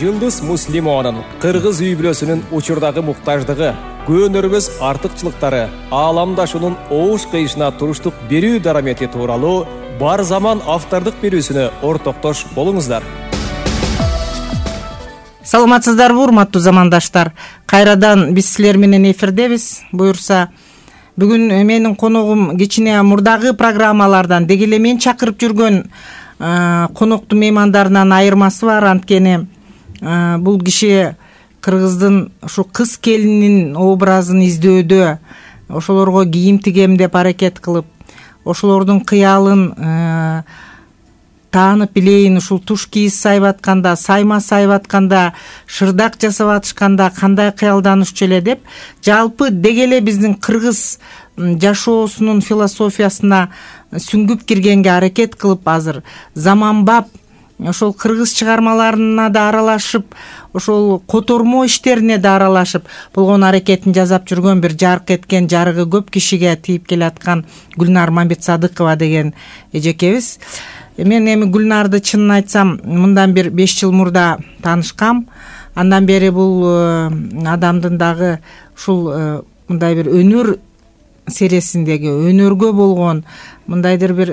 Жылдыз Муслимованын кыргыз үй-бүлөсүнүн учурдагы муктаждыгы, көөнөрбөс артыкчылыктары, ааламдашуунун оош кыйышына туруштук берүү дарамети тууралуу бар заман автордук берүүсүнө ортоктош болуңуздар. Саламатсыздарбы, урматтуу замандаштар? Кайрадан биз силер менен эфирдебиз. Буюрса, бүгүн менин коногум кичине мурдагы программалардан деги эле мен чакырып жүргөн коноктуу меймандарынан айырмасы бар. Анткени бул киши кыргыздын ушу кыз келинин образын издөөдө, ошолорго кийим тигем деп аракет кылып, ошолордун кыялын таанып билейин, ушул туш кийиз сайып атканда, сайма сайып атканда, шырдак жасап атышканда кандай кыялданышчу эле деп, жалпы деги эле биздин кыргыз жашоосунун философиясына сүңгүп киргенге аракет кылып, азыр заманбап ошол кыргыз чыгармаларына да аралашып, ошол котормо иштерине да аралашып болгон аракетин жасап жүргөн бир жарык эткен, жарыгы көп кишиге тийип келаткан Гүлнар Мамбетсадыкова деген эжекебиз. Мен эми Гүлнарды чынын айтсам, мындан бир 5 жыл мурда таанышкам. Андан бери бул адамдын дагы ушул мындай бир өнөр сересиндеги, өнөргө болгон, мындайдыр бир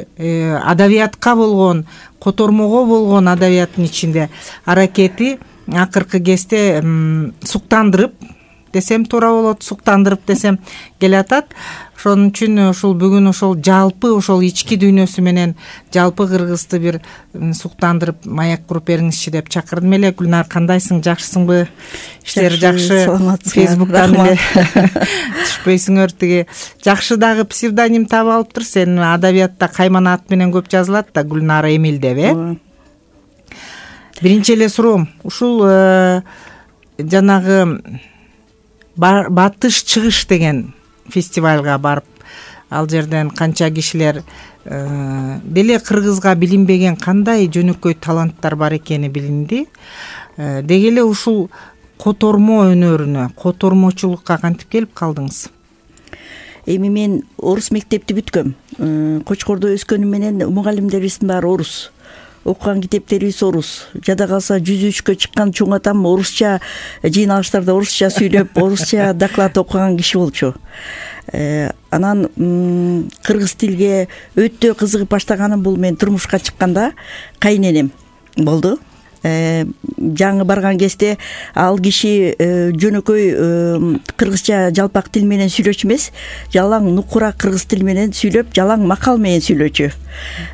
адабиятка болгон, котормого болгон адабияттын ичинде аракети акыркы кезде суктандырып десем туура болот, суктандырып десем келатат. Ошон үчүн ушул бүгүн ошол жалпы ошол ички дүйнөсү менен жалпы кыргызды бир суктандырып маек куруп бериңизчи деп чакырдым эле. Гүлнар, кандайсың, жакшысыңбы? Иштер жакшы? Фейсбуктан эле түшпөйсүңөр. Тиги жакшы дагы псевдоним таап алыптыр. Сен адабиятта кайман ат менен көп жазылат да, Гүлнар Эмил деп, Биринчи эле суроом, ушул жанагы Батыш чыгыш деген фестивалга барып, ал жерден канча кишилер деле кыргызга билинбеген кандай жөнөкөй таланттар бар экени билинди. Деги эле ушул котормо өнөрүнө, котормочулукка кантип келип калдыңыз? Эми мен орус мектепти бүткөм. Кочкордо өскөнүм менен мугалимдерибиздин баары орус. Окуган китептерибиз орус. Жада калса жүзүчкө чыккан чоң атам орусча жыйналыштарда орусча сүйлөп, орусча доклад окуган киши болчу. Анан кыргыз тилге өтө кызыгып баштаганым бул мен турмушка чыкканда кайненем болду. Жаңы барган кезде ал киши жөнөкөй кыргызча жалпак тил менен сүйлөөчү эмес, жалаң нукура кыргыз тил менен сүйлөп, жалаң макал менен сүйлөөчү.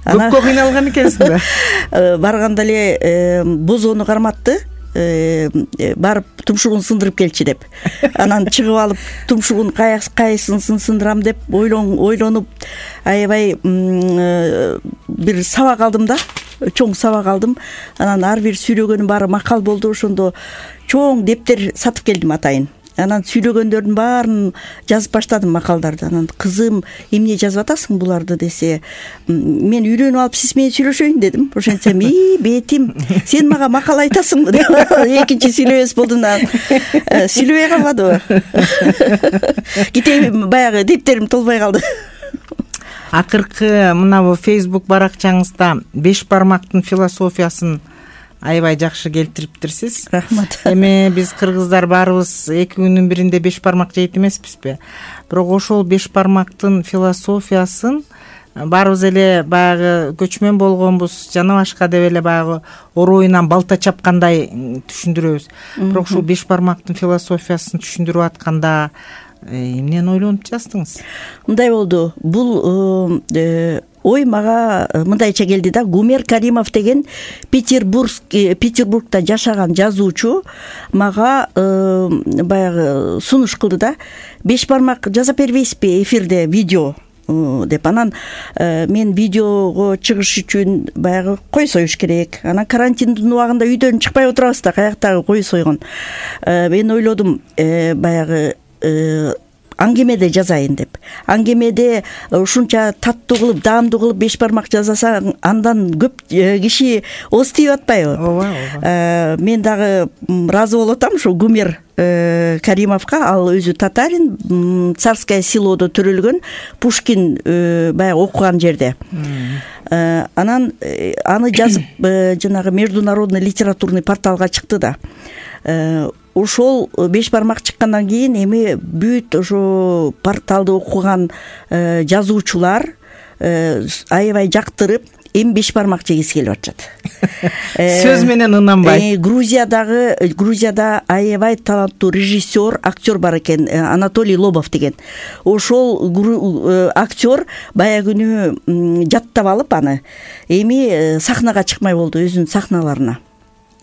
Көпкө кыйналган экенсиң да. Барганда эле бозоону карматты, барып тумшугун сындырып келчи деп. Анан чыгып алып тумшугун кайсын сындырам деп ойлонуп аябай бир сабак алдым да. Чоң сабак алдым. Анан ар бир сүйлөгөнүм баары макал болду. Ошондо чоң дептер сатып келдим атайын. Анан сүйлөгөндөрдүн баарын жазып баштадым, макалдарды. Анан кызым, эмне жазып атасың буларды десе, мен үйлөнүп алып сиз менен сүйлөшөйүн дедим. Ошентсем, бетим, сен мага макал айтасыңбы деп экинчи сүйлөбөс болдум да. Сүйлөбөй калбадыбы? Китебим баягы дептерим толбой калды. Акыркы мына бу Facebook баракчаңызда 5 бармактын философиясын аябай жакшы келтириптирсиз. Рахмат. Эми биз кыргыздар баарыбыз 2 күнүн биринде 5 бармак жейт эмеспизби? Бирок ошол 5 бармактын философиясын баарыбыз эле баягы көчмөн болгонбуз, жана башка деп эле баягы оройунан балта чапкандай түшүндүрөбүз. Бирок ушул 5 бармактын философиясын түшүндүрүп атканда эмнени ойлонуп жаздыңыз? Мындай болду. Бул ой мага мындайча келди да. Гумер Каримов деген Петербургда жашаган жазуучу мага баягы сунуш кылды да. 5 бармак жазап бербейсизби эфирде видео деп. Анан мен видеого чыгыш үчүн баягы кой союш керек. Анан карантиндин убагында үйдөн чыкпай отурабыз да, каяктагы кой сойгон. Мен ойлодум баягы аңгемеде жазайын деп. Аңгемеде ушунча таттуу кылып, даамдуу кылып 5 бармак жазасаң, андан көп киши ооз тийип атпайбы? Ооба. Мен дагы ыраазы болуп атам ушу Гумер Каримовго. Ал өзү татарин, Царское селодо төрөлгөн, Пушкин баягы окуган жерде. Анан аны жазып жанагы международный литературный порталга чыкты да. Ошол 5 бармак чыккандан кийин эми бүт ошо порталды окуган жазуучулар аябай жактырып эми 5 бармак жегиси келип атышат. Сөз менен ынанбай. Грузияда аябай таланттуу режиссер, актер бар экен, Анатолий Лобов деген. Ошол актер баягы күнү жаттап алып аны эми сахнага чыкмай болду, өзүнүн сахналарына.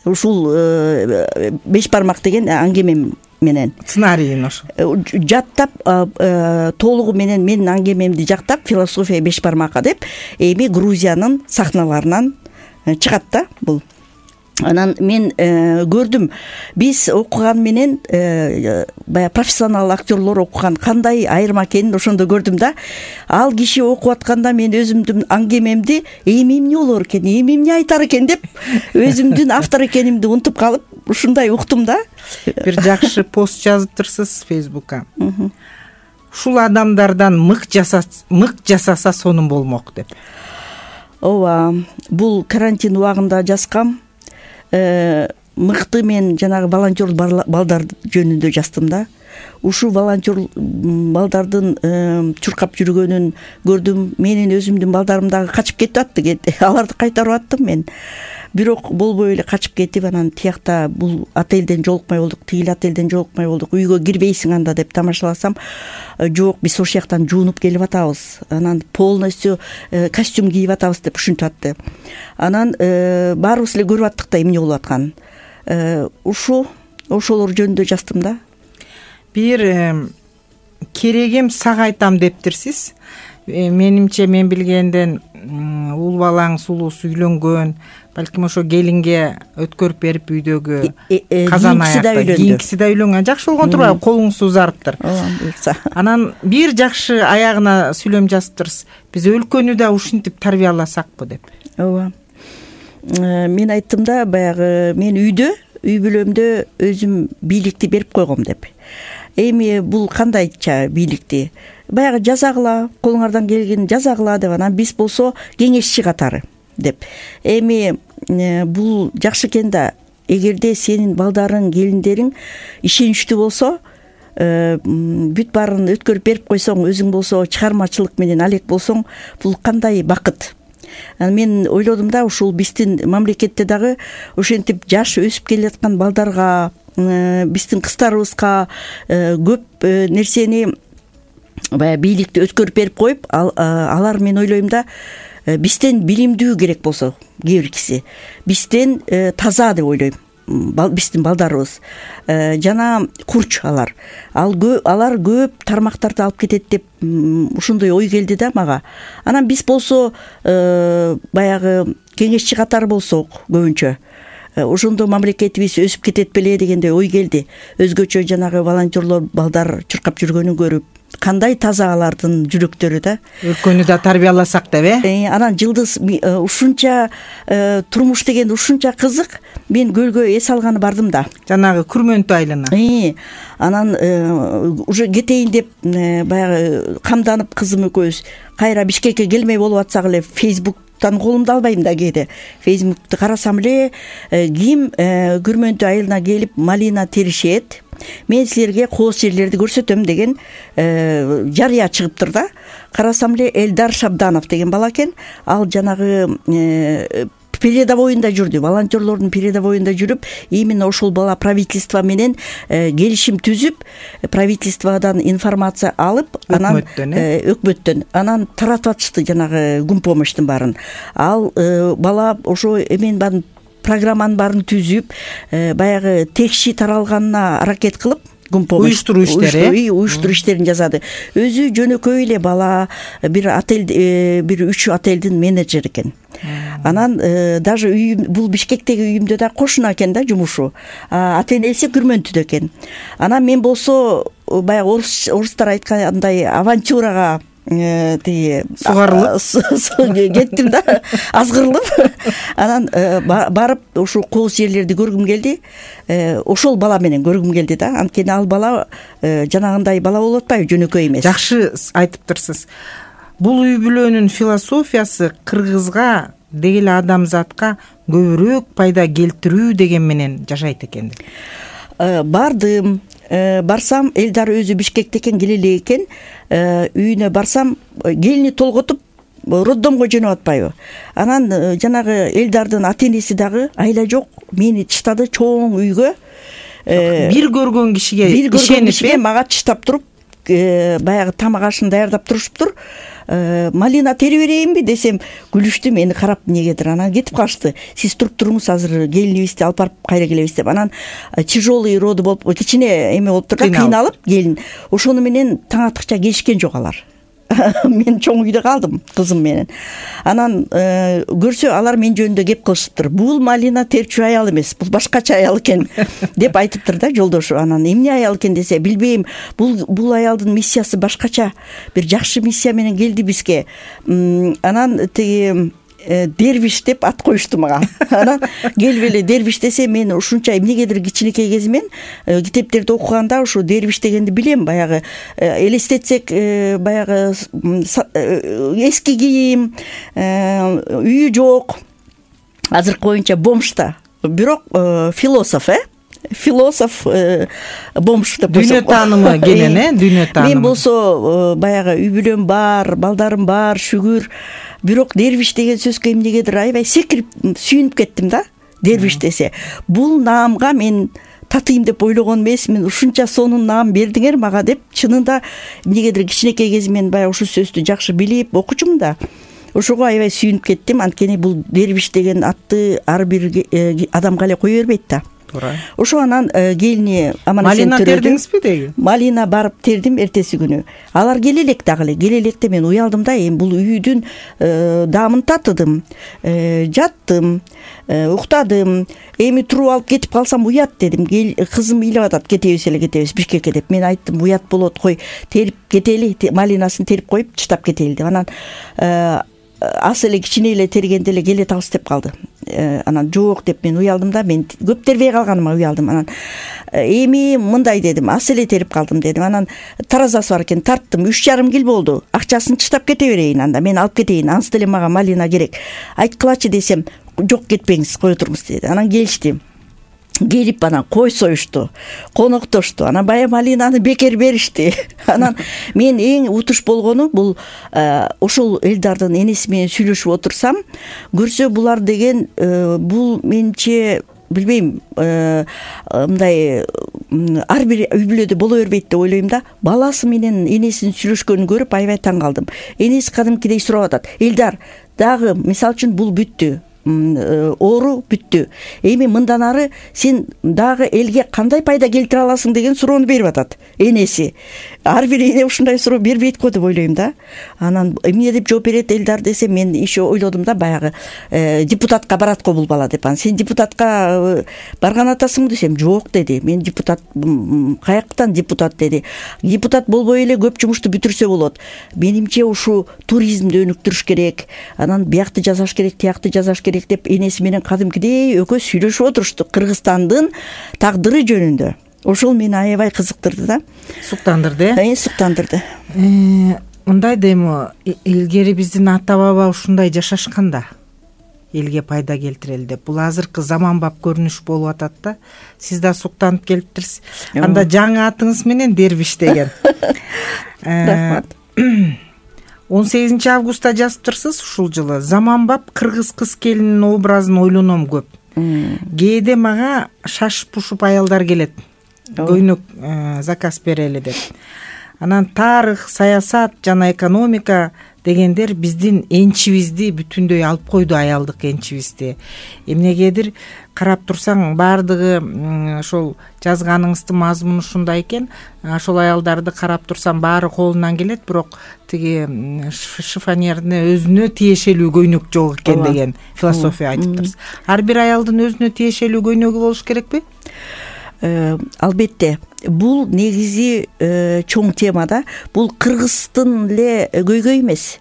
Ушул 5 бармак деген аңгемем менен сценарийин ошо жаттап толугу менен менин аңгемемди жактап философия 5 бармакка деп эми Грузиянын сахналарынан чыгат да бул. Анан мен көрдүм, биз окуган менен баягы профессионал актерлор окуган кандай айырма экенин ошондо көрдүм да. Ал киши окуп атканда мен өзүмдүн аңгемемди эми эмне болор экен, эми эмне айтар экен деп өзүмдүн автор экенимди унутуп калып ушундай уктум да. Бир жакшы пост жазыптырсыз Фейсбукка. Ушул адамдардан мык жасаса сонун болмок деп. Ооба, бул карантин убагында жазгам. Мыкты мен жанагы волонтер балдар жөнүндө жаздым да. Ушу волонтер балдардын чуркап жүргөнүн көрдүм. Менин өзүмдүн балдарым дагы качып кетип атты. Аларды кайтарып аттым мен. Бирок болбой эле качып кетип, анан тиякта бул отелден жолукмай болдук, тигил отелден жолукмай болдук. Үйгө кирбейсиң анда деп тамашаласам, жок, биз ошол жактан жуунуп келип атабыз. Анан полностью костюм кийип атабыз деп ушинтип атты. Анан баарыбыз эле көрүп аттык да эмне болуп атканын. Ошолор жөнүндө жаздым да. Бир керегим сага айтам дептирсиз. Менимче мен билгенден уул балаңыз улуус үйлөнгөн, балким ошо келинге өткөрүп берип үйдөгү казан аякта кийинкиси да үйлөнгөн. Жакшы болгон турбайбы? Колуңуз узарыптыр. Анан бир жакшы аягына сүйлөм жазыптырсыз. Биз өлкөнү да ушинтип тарбияласакпы деп. Ооба. Мен айттым да, баягы мен үй бүлөмдө өзүм бийликти берип койгом деп. Эми бул кандайча бийликти? Баягы жазагыла, колуңардан келген жазагыла деп, анан биз болсо кеңешчи катары деп. Эми бул жакшы экен да, эгерде сенин балдарың, келиндериң ишеничтүү болсо, бүт баарын өткөрүп берип койсоң, өзүң болсо чыгармачылык менен алек болсоң, бул кандай бакыт. Мен ойлодум да, ушул биздин мамлекетте дагы ошентип жаш өсүп келе жаткан балдарга, биздин кыздарыбызга көп нерсени баягы бийликти өткөрүп берип коюп, алар мен ойлойм да, бизден билимдүү керек болсо, кээ бир киши бизден таза деп ойлойм. Биздин балдарыбыз жана курч алар көп тармактарды алып кетет деп ушундой ой келди да мага. Анан биз болсо баягы кеңешчи катары болсок көбүнчө ошондо мамлекетибиз өсүп кетет беле дегендей ой келди. Өзгөчө жанагы волонтерлор балдар чуркап жүргөнүн көрүп, кандай таза алардын жүрөктөрү да. Өлкөнү да тарбияласак деп, Анан Жылдыз ушунча турмуш деген ушунча кызык. Мен көлгө эс алганы бардым да. Жанагы Күрмөнтү айылына. Анан уже кетейин деп баягы камданып кызым экөөбүз кайра Бишкекке келмей болуп атсак эле Фейсбуктан колумду албайм да кээде. Фейсбукту карасам эле ким Күрмөнтү айылына келип малина теришет, мен силерге кооз жерлерди көрсөтөм деген жарыя чыгыптыр да. Карасам эле Элдар Шабданов деген бала экен. Ал жанагы передовойунда жүрдү, волонтерлордун передовойунда жүрүп, именно ошол бала правительство менен келишим түзүп, правительстводан информация алып, анан өкмөттөн анан таратып атышты жанагы гумпомощтун баарын. Ал бала ошо эмен баарын программанын баарын түзүп, баягы текши таралганына аракет кылып, уюштуруу иштерин жасады. Өзү жөнөкөй эле бала, бир отель, бир 3 отелдин менеджери экен. Анан даже бул Бишкектеги үйүмдө да кошуна экен да жумушу. Ата-энеси Күрмөнтүдө экен. Анан мен болсо баягы орустар айткандай авантюрага сугарылып кеттим да, азгырылып. Анан барып ошо кооз жерлерди көргүм келди. Ошол бала менен көргүм келди да. Анткени ал бала жанагындай бала болуп атпайбы, жөнөкөй эмес. Жакшы айтыптырсыз. бул үй бүлөнүн философиясы кыргызга деги эле адамзатка көбүрөөк пайда келтирүү деген менен жашайт экен. Бардым, барсам Элдар өзү Бишкекте экен, келе элек экен. Үйүнө барсам келини толготуп роддомго жөнөп атпайбы. Анан жанагы Элдардын ата энеси дагы айла жок, мени чыштады чоң үйгө. Бир көргөн кишиге ишенип мага чыштап туруп, баягы тамак ашын даярдап турушуптур. Малина терип берейинби десем, күлүштү мени карап негедир. Анан кетип калышты. Сиз туруп туруңуз, азыр келинибизди алып барып кайра келебиз деп. Анан тяжелый роды болуп, кичине эме болуп турду, кыйналып келин. Ошону менен таң аткыча келишкен жок алар. Мен чоң үйдө калдым кызым менен. Анан көрсө алар мен жөнүндө кеп кылышыптыр. Бул Малина терчү аял эмес, бул башкача аял экен деп айтыптыр да жолдошу. Анан эмне аял экен десе, билбейм, бул аялдын миссиясы башкача, бир жакшы миссия менен келди бизге. Анан тиги Дервиш деп ат коюшту мага. Анан келип эле Дервиш десе, мен ушунча эмнегедир кичинекей кезимен китептерди окуганда ушу Дервиш дегенди билем. Баягы элестетсек, баягы эски кийим, үйү жок, азыркы боюнча бомжда, бирок философ, философ бомж деп дүйнө таанымы кенен, дүйнө таанымы. Мен болсо баягы үй бүлөм бар, балдарым бар, шүгүр. Бирок Дервиш деген сөзгө эмнегедир аябай секирип сүйүнүп кеттим да. Дервиш десе, бул наамга мен татыйм деп ойлогон эмесмин. Ушунча сонун наам бердиңер мага деп, чынында эмнегедир кичинекей кезимен баягы ушу сөздү жакшы билип окучумун да. Ошого аябай сүйүнүп кеттим. Анткени бул Дервиш деген атты ар бир адамга эле кое бербейт да. Ошо анан келини Малина тердиңизби деги? Малина барып тердим эртеси күнү. Алар келе элек дагы эле. Келе электе мен уялдым да, эми бул үйдүн даамын татыдым. Жаттым, уктадым. Эми туруп алып кетип калсам уят дедим. Кызым ыйлап атат, кетебиз Бишкекке деп. Мен айттым, уят болот, кой, терип кетели, Малинасын терип коюп чыдап кетели деп. Анан ас эле кичине эле тергенде эле келе табыз деп калды. Анан жок деп мен уялдым да, мен көп тербей калганыма уялдым. Анан эми мындай дедим, ас эле терип калдым дедим. Анан таразасы бар экен, тарттым, 3,5 кил болду. Акчасын чыштап кете берейин, анда мен алып кетейин. Ансы деле мага Малина керек. Айткылачы десем, жок кетпеңиз, кое туруңуз деди. Анан келишти. Келип анан кой союшту, коноктошту. Анан бая Малинаны бекер беришти. Анан мен эң утуш болгону бул ошол Элдардын энеси менен сүйлөшүп отурсам, көрсө булар деген бул менче билбейм, мындай ар бир үй бүлөдө боло бербейт деп ойлойм да. Баласы менен энесинин сүйлөшкөнүн көрүп аябай таң калдым. Энеси кадимкидей сурап атат. Элдар, дагы мисалы үчүн бул бүттү. Оору бүттү. Эми мындан ары сен дагы элге кандай пайда келтире аласың деген суроону берип атат энеси. Ар бир эне ушундай суроо бербейт го деп ойлойм да. Анан эмне деп жооп берет Элдар десе, мен еще ойлодум да, баягы депутатка барат го бул бала деп. Анан сен депутатка барган атасыңбы десем, жок деди. Мен депутат каяктан депутат деди. Депутат болбой эле көп жумушту бүтүрсө болот. Менимче ушу туризмди өнүктүрүш керек. Анан биякты жасаш керек, тиякты жасаш керек деп энеси менен кадимкидей экөө сүйлөшүп отурушту Кыргызстандын тагдыры жөнүндө. Ошол мени аябай кызыктырды да. Суктандырды, суктандырды. Мындай дейм, илгери биздин ата баба ушундай жашашканда, элге пайда келтирели деп. Бул азыркы заманбап көрүнүш болуп атат да. Сиз да суктанып келиптирсиз. Анда жаңы атыңыз менен Дервиш деген. Рахмат. 18 августта жазыптырсыз ушул жылы. Заманбап кыргыз кыз келинин образын ойлоном көп. Кээде мага шашып-пушуп аялдар келет. Көйнөк заказ берели деп. Анан тарых, саясат жана экономика дегендер биздин энчибизди бүтүндөй алып койду, аялдык энчибизди. Эмнегедир карап турсаң, баардыгы ошол жазганыңыздын мазмуну ушундай экен. Ошол аялдарды карап турсам баары колунан келет, бирок тиги шифонерне өзүнө тиешелүү көйнөк жок экен деген философия айтыптырсыз. Ар бир аялдын өзүнө тиешелүү көйнөгү болуш керекпи? Албетте. Бул негизи чоң тема да. Бул кыргыздын эле көйгөй эмес.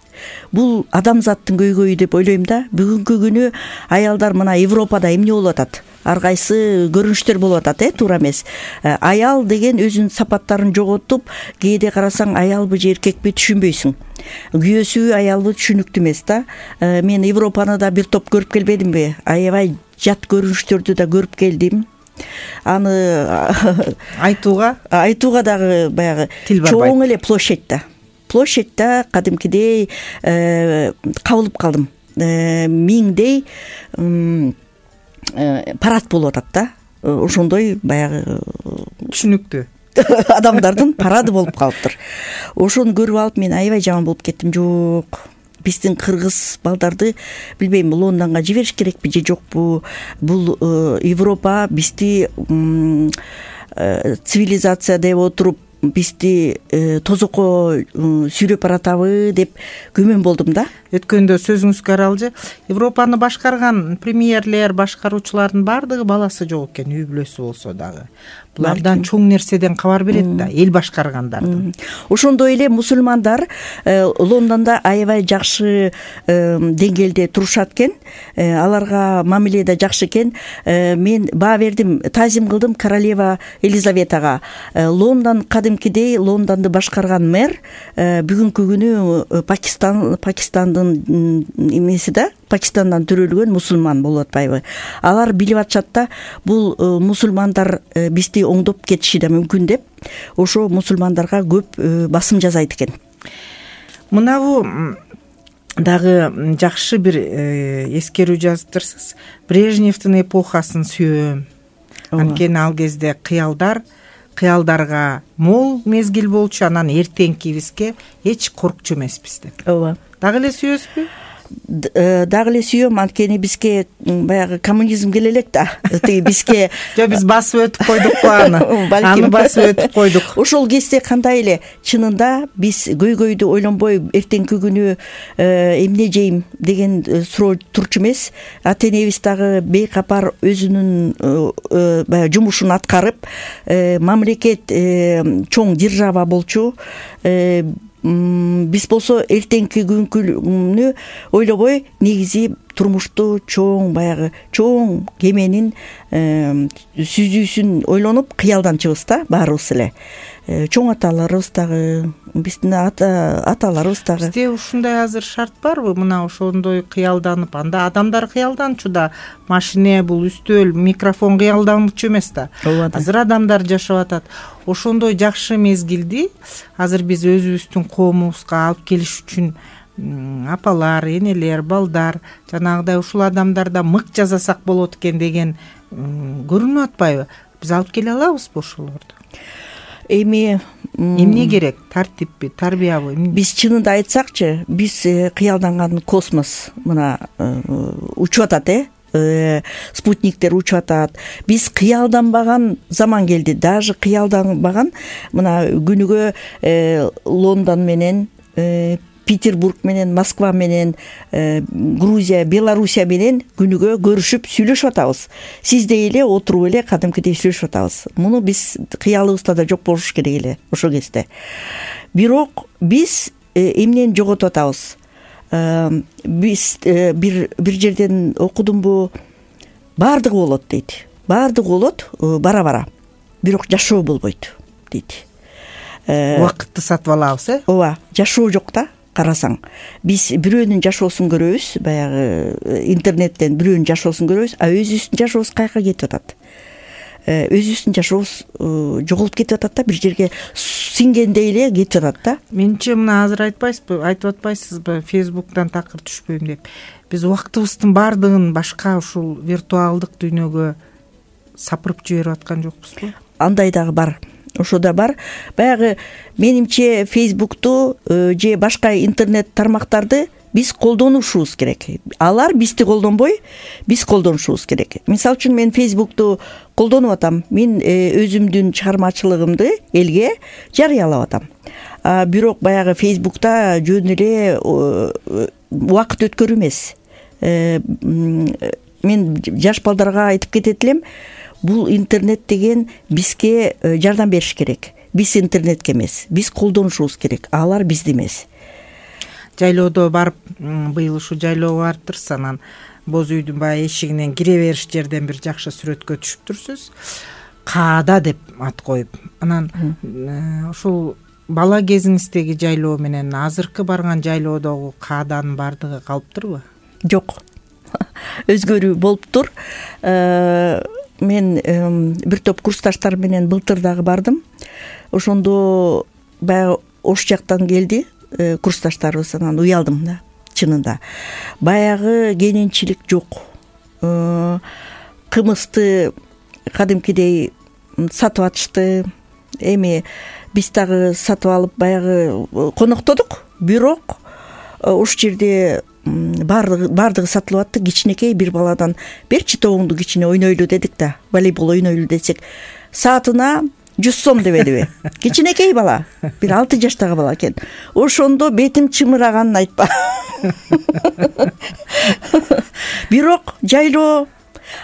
Бул адамзаттын көйгөйү деп ойлойм да. Бүгүнкү күнү аялдар мына Европада эмне болуп атат? ар кайсы көрүнүштөр болуп атат, туура эмес. Аял деген өзүнүн сапаттарын жоготуп, кээде карасаң аялбы же эркекпи түшүнбөйсүң. Күйөөсүбү аялбы түшүнүктүү эмес да. Мен Европаны да бир топ көрүп келбедимби? Аябай жат көрүнүштөрдү да көрүп келдим. Аны айтууга дагы баягы чоң эле площадьда кадимкидей кабылып калдым. Миңдей парад болуп атат да. Ошондой баягы түшүнүктүү адамдардын парады болуп калыптыр. Ошону көрүп алып мен аябай жаман болуп кеттим. Жок, биздин кыргыз балдарды билбейм, Лондонго жибериш керекпи же жокпу? Бул Европа бизди цивилизация деп отуруп бизди тозокко сүйрөп баратабы деп күмөн болдум да. Өткөндө сөзүңүзгө аралжы, Европаны башкарган премьерлер, башкаруучулардын баардыгы баласы жок экен, үй бүлөсү болсо дагы. Булардан чоң нерседен кабар берет да, эл башкаргандардын. Ошондой эле мусулмандар Лондондо аябай жакшы деңгээлде турушат экен. Аларга мамиле да жакшы экен. Мен баа бердим, таазим кылдым королева Елизаветага. Лондон кадимкидей Лондонду башкарган мэр бүгүнкү күнү Пакистандын эмеси да, Пакистандан төрөлгөн мусулман болуп атпайбы? Алар билип атышат да, бул мусулмандар бизди оңдоп кетиши да мүмкүн деп, ошо мусулмандарга көп басым жасайт экен. Мынабу дагы жакшы бир эскерүү жазыптырсыз. Брежневдин эпохасын сүйөм. Анткени ал кезде кыялдарга мол мезгил болчу, анан эртеңкибизге эч коркчу эмеспиз деп. Ооба. Дагы эле сүйөсүзбү? Дагы эле сүйөм, анткени бизге баягы коммунизм келе элек да. Бизге жок, биз басып өтүп койдукпу аны. Аны басып өтүп койдук. Ошол кезде кандай эле чынында биз көйгөйдү ойлонбой эртеңки күнү эмне жейм деген суроо турчу эмес. Ата-энебиз дагы бейкапар өзүнүн баягы жумушун аткарып, мамлекет чоң держава болчу. Биз болсо эртеңки күнкүнү ойлобой негизи турмушту баягы чоң кеменин сүзүүсүн ойлонуп кыялданчыбыз да баарыбыз эле. Чоң аталарыбыз дагы, биздин аталарыбыз дагы. Бизде ушундай азыр шарт барбы? Мына ошондой кыялданып, анда адамдар кыялданчу да, машине, бул үстөл, микрофон кыялданчу эмес да. Азыр адамдар жашап атат. Ошондой жакшы мезгилди азыр биз өзүбүздүн коомубузга алып келиш үчүн апалар, энелер, балдар, жанагыдай ушул адамдарда мык жасасак болот экен деген көрүнүп атпайбы? Биз алып келе алабызбы ошолорду? Эмне керек? Тартиппи, тарбиябы? Биз чынында айтсакчы, биз кыялданган космос мына учуп атат, спутниктер учуп атат. Биз кыялданбаган заман келди. Даже кыялданбаган мына күнүгө Лондон менен, Петербург менен, Москва менен, Грузия, Белоруссия менен күнүгө көрүшүп сүйлөшүп атабыз. Сиздей эле отуруп эле кадимкидей сүйлөшүп атабыз. Муну биз кыялыбызда да жок болуш керек эле ошол кезде. Бирок биз эмнени жоготуп атабыз? Биз бир жерден окудумбу, баардыгы болот дейт. Баардыгы болот бара-бара. Бирок жашоо болбойт дейт. Убакытты сатып алабыз, Ооба, жашоо жок да. Карасаң, биз бирөөнүн жашоосун көрөбүз, баягы интернеттен бирөөнүн жашоосун көрөбүз, а өзүбүздүн жашообуз каяка кетип атат? Өзүбүздүн жашообуз жоголуп кетип атат да, бир жерге сиңгендей эле кетип атат да. Менче мына азыр айтып атпайсызбы, Фейсбуктан такыр түшпөйм деп. Биз убактыбыздын баардыгын башка ушул виртуалдык дүйнөгө сапырып жиберип аткан жокпузбу? Андай дагы бар. Ошо да бар. Баягы менимче Фейсбукту же башка интернет тармактарды биз колдонушубуз керек. Алар бизди колдонбой, биз колдонушубуз керек. Мисалы үчүн мен Фейсбукту колдонуп атам. Мен өзүмдүн чыгармачылыгымды элге жарыялап атам. Бирок баягы Фейсбукта жөн эле убакыт өткөрүү эмес. Мен жаш балдарга айтып кетет элем, бул интернет деген бизге жардам бериш керек. Биз интернетке эмес, биз колдонушубуз керек. Алар бизди эмес. Жайлоодо барып, быйыл ушу жайлоого барыптырсыз, анан боз үйдүн баягы эшигинен кире бериш жерден бир жакшы сүрөткө түшүптүрсүз. Каада деп ат коюп. Анан ушул бала кезиңиздеги жайлоо менен азыркы барган жайлоодогу кааданын баардыгы калыптырбы? Жок. Өзгөрүү болуптур. Мен бир топ курсташтар менен былтыр дагы бардым. Ошондо баягы Ош жактан келди курсташтарыбыз. Анан уялдым да, чынында. Баягы кененчилик жок. Кымызды кадимкидей сатып атышты. Эми биз дагы сатып алып баягы коноктодук. Бирок уш жерде баардыгы сатылып атты. Кичинекей бир баладан берчи тобуңду кичине ойнойлу дедик да. Волейбол ойнойлу десек, саатына 100 сом дебедиби? Кичинекей бала, бир 6 жаштагы бала экен. Ошондо бетим чымыраганын айтпа. Бирок жайлоо,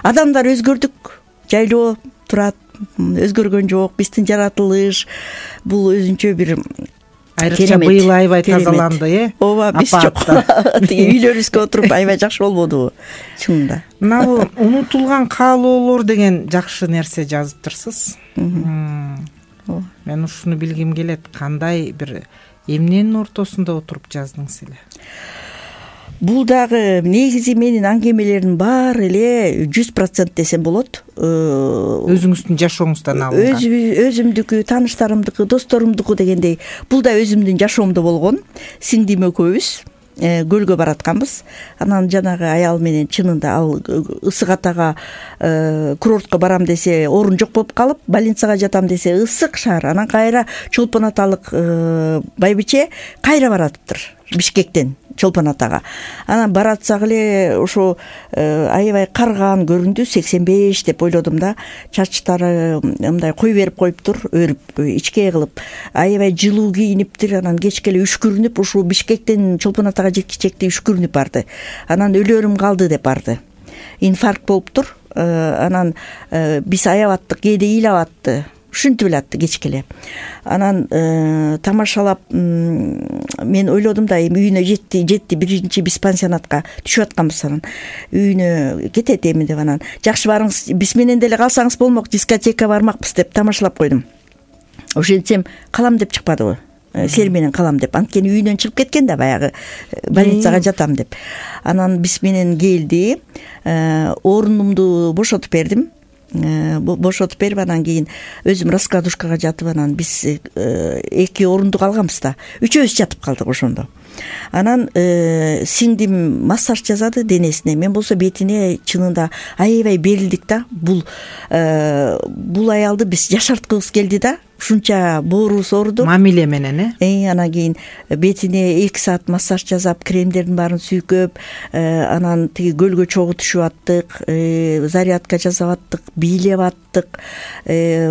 адамдар өзгөрдүк. Жайлоо турат, өзгөргөн жок. Биздин жаратылыш бул өзүнчө бир айрыкча быйыл аябай тазаланды, Ооба, биз жок. Үйлөрүбүзгө отуруп аябай жакшы болбодубу? Чынында. Мына бул унутулган каалоолор деген жакшы нерсе жазыптырсыз. Мен ушуну билгим келет. Кандай бир эмненин ортосунда отуруп жаздыңыз эле? Бул дагы негизи менин аңгемелердин баары эле 100% десем болот. Өзүңүздүн жашооңуздан алынган. Өзүмдүкү, тааныштарымдыкы, досторумдуку дегендей. Бул да өзүмдүн жашоомдо болгон. Сиңдим экөөбүз көлгө баратканбыз. Анан жанагы аял менен чынында ал ысык атага курортко барам десе орун жок болуп калып, больницага жатам десе ысык шаар. Анан кайра Чолпон аталык байбиче кайра баратыптыр Бишкектен Чолпон атага. Анан баратсак эле ошо аябай карыган көрүндү. 85 деп ойлодум да. Чачтары мындай кой берип коюптур, өрүп, ичке кылып. Аябай жылуу кийиниптир. Анан кечке эле үшкүрүнүп, ушул Бишкектен Чолпон атага жеткичекти үшкүрүнүп барды. Анан өлөрүм калды деп барды. Инфаркт болуптур. Анан биз аябаттык, кээде ыйлап атты. Ушинтип эле атты кечке эле. Анан тамашалап мен ойлодум да, эми үйүнө жетти, биринчи биз пансионатка түшүп атканбыз. Анан үйүнө кетет эми деп, анан жакшы барыңыз, биз менен деле калсаңыз болмок, дискотека бармакпыз деп тамашалап койдум. Ошентсем калам деп чыкпадыбы? Силер менен калам деп. Анткени үйүнөн чыгып кеткен да, баягы больницага жатам деп. Анан биз менен келди, орунумду бошотуп бердим. Бошотуп берип, анан кийин өзүм раскладушкага жатып, анан биз 2 орундук алганбыз да. Үчөөбүз жатып калдык ошондо. Анан сиңдим массаж жасады денесине. Мен болсо бетине чынында аябай берилдик да. Бул аялды биз жашарткыбыз келди да. Ушунча боорубуз ооруду. Мамиле менен, Анан кийин бетине 2 саат массаж жасап, кремдердин баарын сүйкөп, анан тиги көлгө чогуу түшүп аттык, зарядка жасап аттык, бийлеп аттык.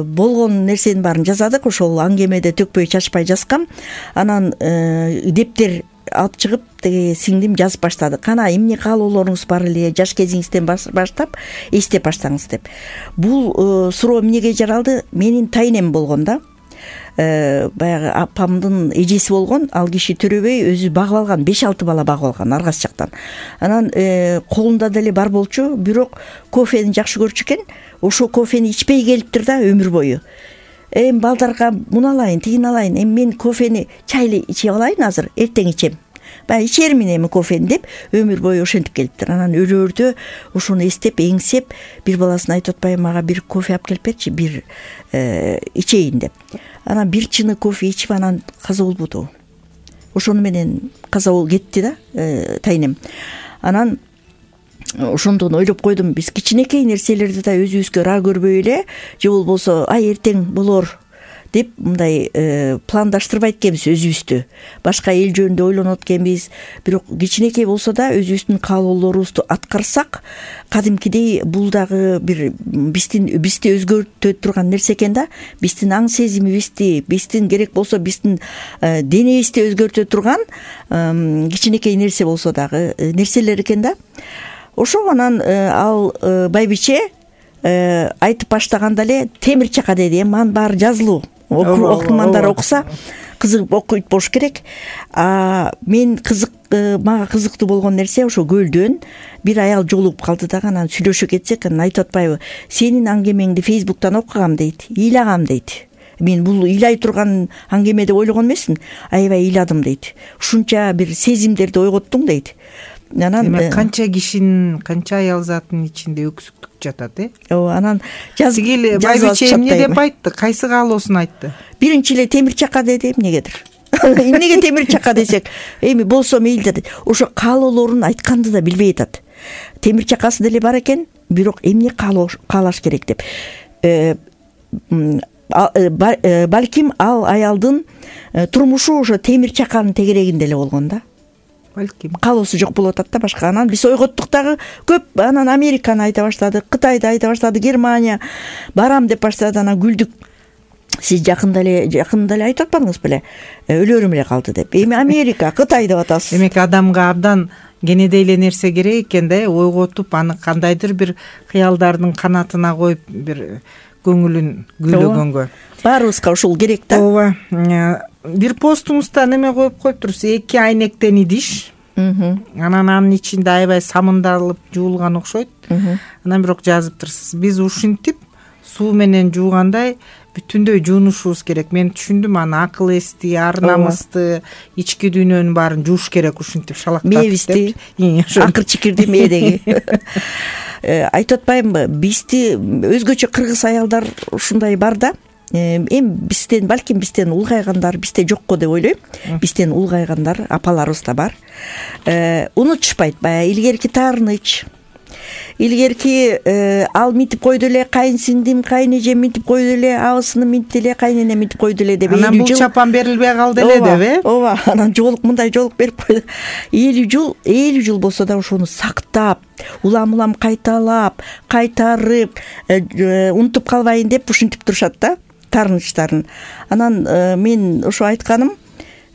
Болгон нерсенин баарын жасадык. Ошол аңгемеде төкпөй чачпай жазгам. Анан дептер алып чыгып, тиги сиңдим жазып баштады. Кана эмне каалоолоруңуз бар эле, жаш кезиңизден баштап эстеп баштаңыз деп. Бул суроо эмнеге жаралды? Менин тайнем болгон да. Баягы апамдын эжеси болгон, ал киши төрөбөй өзү багып алган, 5-6 бала багып алган аргас жактан. Анан колунда деле бар болчу, бирок кофени жакшы көрчү экен. Ошо кофени ичпей келиптир да өмүр бою. Эми балдарга муну алайын, тигин алайын. Эми мен кофени чайлы ичип алайын азыр, эртең ичем. Баягы ичермин эми кофени деп өмүр бою ошентип келиптир. Анан өлөрдө ошону эстеп, эңсеп, бир баласын айтып атпайбы, мага бир кофе алып келип берчи, бир ичейин деп. Анан бир чыны кофе ичип, анан каза болбоду. Ошону менен каза болуп кетти да тайнем. Анан ошондон ойлоп койдум, биз кичинекей нерселерди да өзүбүзгө ара көрбөй эле, же болбосо ай эртең болор деп мындай пландаштырбайт экенбиз өзүбүздү. Башка эл жөнүндө ойлонот экенбиз. Бирок кичинекей болсо да өзүбүздүн каалоолорубузду аткарсак, кадимкидей бул дагы бир бизди өзгөртө турган нерсе экен да. Биздин аң сезимибизди, биздин керек болсо биздин денебизди өзгөртө турган кичинекей нерсе болсо дагы нерселер экен да. Ошо анан ал байбиче айтып баштаганда эле темир чака деди. Манын баары жазылуу. Окумандар окуса кызыгып окуйт болуш керек. Мен мага кызыктуу болгон нерсе ошо көлдөн бир аял жолугуп калды дагы, анан сүйлөшө кетсек, анан айтып атпайбы, сенин аңгемеңди Фейсбуктан окугам дейт, ыйлагам дейт. Мен бул ыйлай турган аңгеме деп ойлогон эмесмин, аябай ыйладым дейт. Ушунча бир сезимдерди ойготтуң дейт. Анан демек канча кишинин, канча аял затынын ичинде өксүктүк жатат, Анан тигил байбиче эмне деп айтты, кайсы каалоосун айтты? Биринчи эле темир чака деди, эмнегедир. Эмнеге темир чака десек, эми болсо мейли деди. Ошо каалоолорун айтканды да билбей атат. Темир чакасы деле бар экен, бирок эмне каалаш керек деп. Балким ал аялдын турмушу ошо темир чаканын тегерегинде эле болгон да. Балким Каалоосу жок болуп атат да башка. Анан биз ойготтук дагы көп. Анан Американы айта баштады, Кытайды айта баштады, Германия барам деп баштады. Анан күлдүк. Сиз жакында эле айтып атпадыңыз беле? Өлөрүм эле калды деп. Эми Америка, Кытай деп атасыз. Демек адамга абдан кенедей эле нерсе керек экен да, ойготуп, аны кандайдыр бир кыялдардын канатына коюп, бир көңүлүн күйлөгөнгө. Баарыбызга ушул керек да. Ооба. Бир постуңузда неме коюп коюптурсуз, 2 айнектен идиш. Анан анын ичинде аябай самындалып жуулган окшойт. Анан бирок жазыптырсыз, биз ушинтип суу менен жуугандай бүтүндөй жуунушубуз керек. Мен түшүндүм, аны акыл эсти, ар намысты, ички дүйнөнүн баарын жууш керек ушинтип шалактатып. Мээбизди, акыр чикирди мээдеги. Айтып атпаймынбы, бизди өзгөчө кыргыз аялдар ушундай бар да. Эми бизден, балким бизден улгайгандар бизде жокко деп ойлойм. Бизден улгайгандар апаларыбыз да бар. Унутушпайт баягы илгерки таарыныч, илгерки ал минтип койду эле, кайынсиңдим, кайынэжем минтип койду эле, абысыным минтти эле, кайненем минтип койду эле деп. Анан бул чапан берилбей калды эле деп, Ооба, анан мындай жоолук берип койду. 50 жыл болсо да ошону сактап, улам кайталап, кайтарып, унутуп калбайын деп ушинтип турушат да, таарынычтарын. Анан мен ошо айтканым,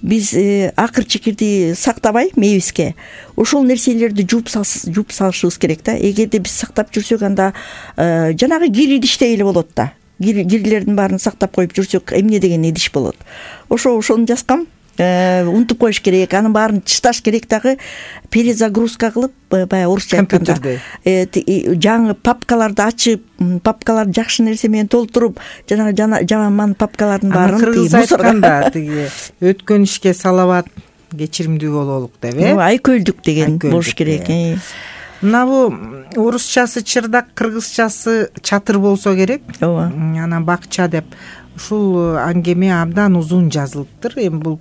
биз акыр чикирди сактабай мээбизге ошол нерселерди жууп салышыбыз керек да. Эгерде биз сактап жүрсөк, анда жанагы кир идиштей эле болот да. Кирлердин баарын сактап коюп жүрсөк, эмне деген идиш болот. Ошону жазгам. Унутуп коюш керек, анын баарын чышташ керек дагы, перезагрузка кылып, баягы орусча айтканда жаңы папкаларды ачып, папкаларды жакшы нерсе менен толтуруп, жанагы жаман папкалардын баарын кыргыз айтканда тиги өткөн ишке салават, кечиримдүү бололук деп, айкөлдүк деген болуш керек. Мына бу орусчасы чырдак, кыргызчасы чатыр болсо керек. Ооба. Анан бакча деп ушул аңгеме абдан узун жазылыптыр. Эми бул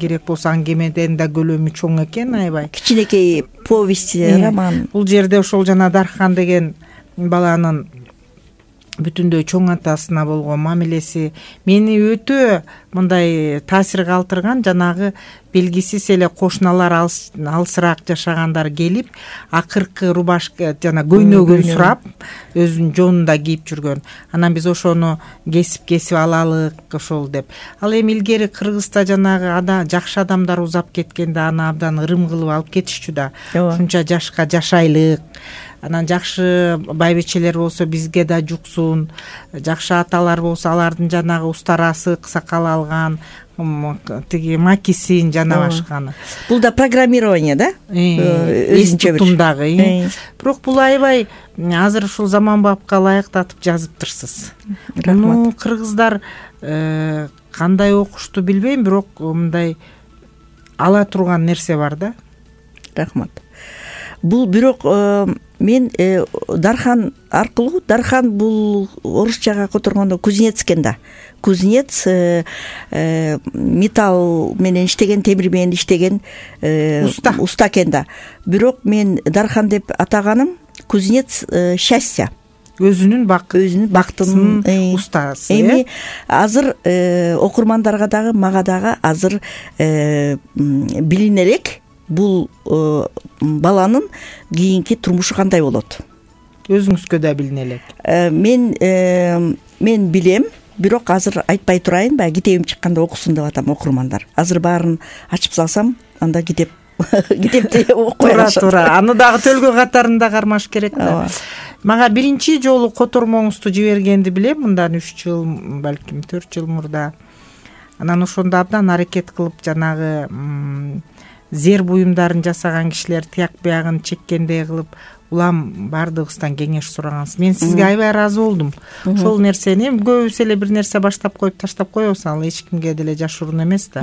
керек болсо аңгемеден да көлөмү чоң экен, аябай. Кичинекей повесть, роман. Бул жерде ошол жана Дархан деген баланын бүтүндөй чоң атасына болгон мамилеси мени өтө мындай таасир калтырган. Жанагы белгисиз эле кошуналар, алысыраак жашагандар келип, акыркы рубашка жана көйнөгүн сурап, өзүнүн жонунда кийип жүргөн. Анан биз ошону кесип алалык ошол деп. Ал эми илгери Кыргызда жанагы жакшы адамдар узап кеткенде аны абдан ырым кылып алып кетишчү да. Ушунча жашка жашайлык. Анан жакшы байбичелер болсо бизге да жуксун, жакшы аталар болсо алардын жанагы устарасы сакал алган, тиги макисин жана башканы. Бул да программирование да? Өзүнчө тутумдагы. Бирок бул аябай азыр ушул заманбапка ылайыктатып жазыптырсыз. Муну кыргыздар кандай окушту билбейм, бирок мындай ала турган нерсе бар да. Рахмат. Бул бирок мен Дархан аркылуу, Дархан бул орусчага которгондо кузнец экен да. Кузнец металл менен иштеген, темир менен иштеген уста экен да. Бирок мен Дархан деп атаганым кузнец счастья. Өзүнүн бактынын устасы. Эми азыр окурмандарга дагы, мага дагы азыр билине элек бул баланын кийинки турмушу кандай болот. Өзүңүзгө да билине элек. Мен билем, бирок азыр айтпай турайын, баягы китебим чыкканда окусун деп атам окурмандар. Азыр баарын ачып салсам, анда китепти окуй алышат. Туура. Аны дагы төлгө катарында кармаш керек да. Мага биринчи жолу котормоңузду жибергенди билем, мындан 3 жыл, балким 4 жыл мурда. Анан ошондо абдан аракет кылып жанагы зер буюмдарын жасаган кишилер тияк биягын чеккендей кылып улам баардыгыбыздан кеңеш сураганбыз. Мен сизге аябай ыраазы болдум. Ошол нерсени көбүс эле бир нерсе баштап коюп таштап коебуз, ал эч кимге деле жашыруун эмес да.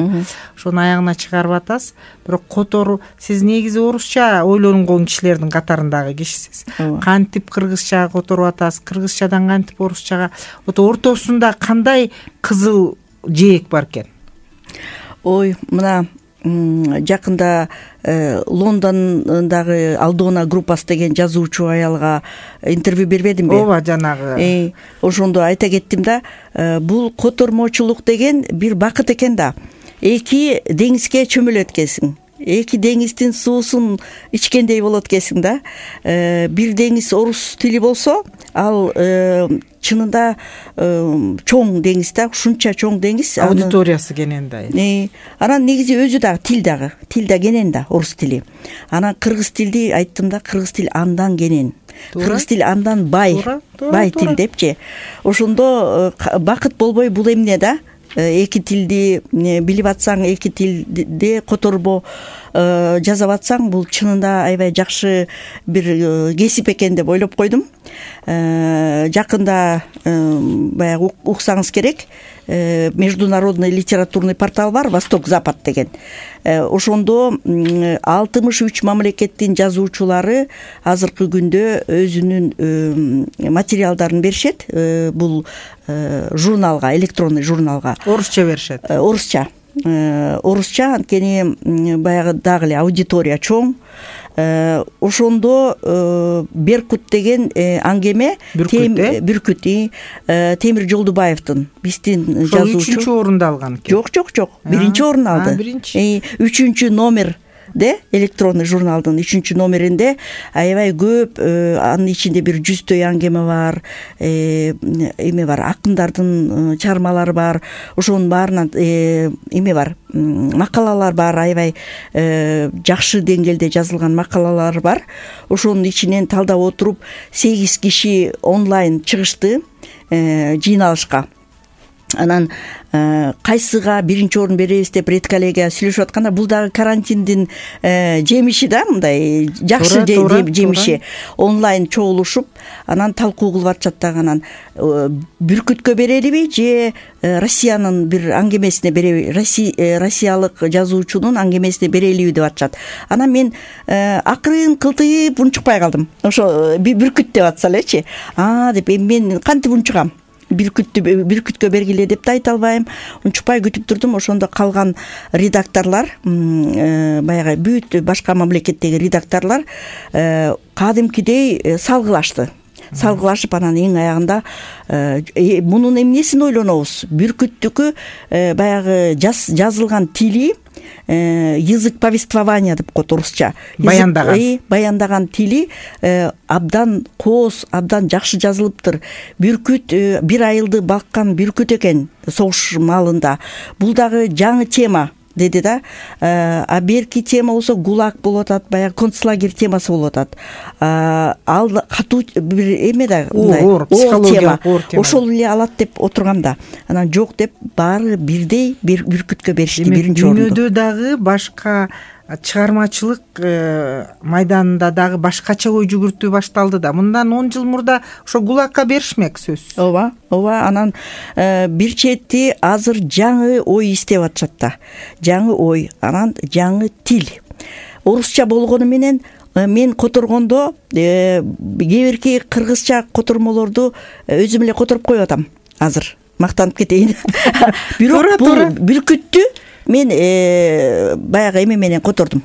Ошону аягына чыгарып атасыз. Бирок котору сиз негизи орусча ойлонгон кишилердин катарындагы кишисиз. Кантип кыргызча которуп атасыз, кыргызчадан кантип орусчага, ортосунда кандай кызыл жээк бар экен? Ой, мына жакында Лондондогу Алдона группасы деген жазуучу аялга интервью бербедимби? Ооба, жанагы. Ошондо айта кеттим да, бул котормочулук деген бир бакыт экен да. Эки деңизге чөмүлөт экенсиң. Эки деңиздин суусун ичкендей болот экенсиң да. Бир деңиз орус тили болсо, ал чынында чоң деңиз да, ушунча чоң деңиз. Аудиториясы кенен да. Анан негизи өзү дагы тил да кенен да, орус тили. Анан кыргыз тилди айттым да, кыргыз тил андан кенен. Кыргыз тил андан бай тил депчи. Ошондо бакыт болбой бул эмне да? Эки тилди билип атсаң, эки тилде которбо жазап атсаң, бул чынында аябай жакшы бир кесип экен деп ойлоп койдум. Жакында баягы уксаңыз керек, международный литературный портал бар, Восток-Запад деген. Ошондо 63 мамлекеттин жазуучулары азыркы күндө өзүнүн материалдарын беришет. Бул журналга, электронный журналга. Орусча беришет. Орусча, анткени баягы дагы эле аудитория чоң. Ошондо Беркут деген аңгеме, Бүркүт, Темир Жолдубаевдин, биздин жазуучу. 3-чү орунду алган экен. Жок, 1-чи орун алды. 3-чү номер электронный журналдын 3-чү номеринде аябай көп, анын ичинде бир 100той аңгеме бар, эме бар, акындардын чыгармалары бар, ошонун баарынан эме бар, макалалар бар, аябай жакшы деңгээлде жазылган макалалар бар. Ошонун ичинен талдап отуруп 8 киши онлайн чыгышты жыйналышка. Анан кайсыга 1-чи орун беребиз деп редколлегия сүйлөшүп атканда, бул дагы карантиндин жемиши да, мындай жакшы жемиши. Онлайн чогулушуп, анан талкуу кылып атышат дагы. Анан Бүркүткө берелиби же Россиянын бир аңгемесине береби, россиялык жазуучунун аңгемесине берелиби деп атышат. Анан мен акырын кылтыйып унчукпай калдым. Ошо Бүркүт деп атса элечи. Деп мен кантип унчугам? Бүркүткө бергиле деп да айта албайм. Унчукпай күтүп турдум. Ошондо калган редакторлор, баягы бүт башка мамлекеттеги редакторлор кадимкидей салгылашып, анан эң аягында мунун эмнесин ойлонобуз? Бүркүттүкү баягы жазылган тили, язык повествования деп коет орусча. Баяндаган тили абдан кооз, абдан жакшы жазылыптыр. Бүркүт бир айылды баккан бүркүт экен согуш маалында. Бул дагы жаңы тема деди да. Берки тема болсо ГУЛАГ болуп атат, баягы концлагерь темасы болуп атат. Ал катуу бир эме да, оор тема. Ошол эле алат деп отургам да. Анан жок деп баары бирдей Бүркүткө беришти 1-чи орунду. Дүйнөдө дагы башка чыгармачылык майданында дагы башкача ой жүгүртүү башталды да. Мындан 10 жыл мурда ошо ГУЛАГка беришмек сөзсүз. Ооба. Анан бир чети азыр жаңы ой издеп атышат да. Жаңы ой, анан жаңы тил. Орусча болгону менен мен которгондо кээ-бирки кыргызча котормолорду өзүм эле которуп коюп атам азыр. Мактанып кетейин. Бирок бул Бүркүттү мен баягы эме менен котордум.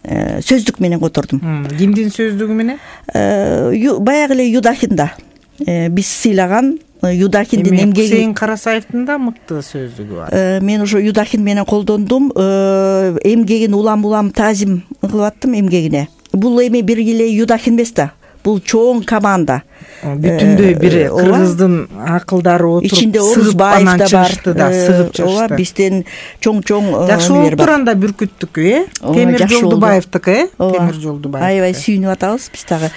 Сөздүк менен котордум. Кимдин сөздүгү менен? Баягы эле Юдахинда. Биз сыйлаган Юдахиндин эмгеги. Хусейин Карасаевдин да мыкты сөздүгү бар. Мен ошо Юдахин менен колдондум. Эмгегин улам таазим кылып аттым эмгегине. Бул эми бир эле Юдахин эмес да. Бул чоң команда. Бүтүндөй бир кыргыздын акылдары отуруп, ичинде Орусбаев да бар. Ооба, бизден чоң жакшы болуп турганда Бүркүттүкү, Темир Жолдубаевдики, Темир Жолдубаев. Аябай сүйүнүп атабыз биз дагы.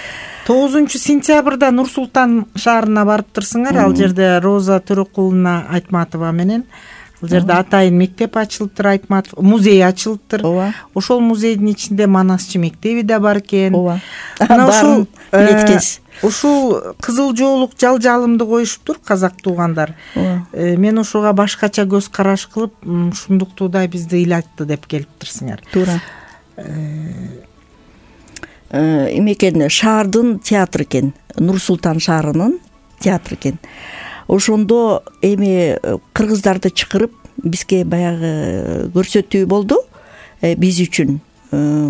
9-сентябрда Нур-Султан шаарына барыптырсыңар. Ал жерде Роза Төрөкулуна Айтматова менен Ал жерде атайын мектеп ачылыптыр, Айтматов музей ачылыптыр. Ооба. Ошол музейдин ичинде Манасчы мектеби да бар экен. Ооба. Мына ушул билеткенсиз. Ушул кызыл жоолук жал-жалымды коюшуптур казак туугандар. Мен ушуга башкача көз караш кылып, ушундуктуудай бизди ыйлатты деп келиптирсиңер. Туура. Эме экен, шаардын театры экен, Нур Султан шаарынын театры экен. Ошондо эми кыргыздарды чакырып бизге баягы көрсөтүү болду. Биз үчүн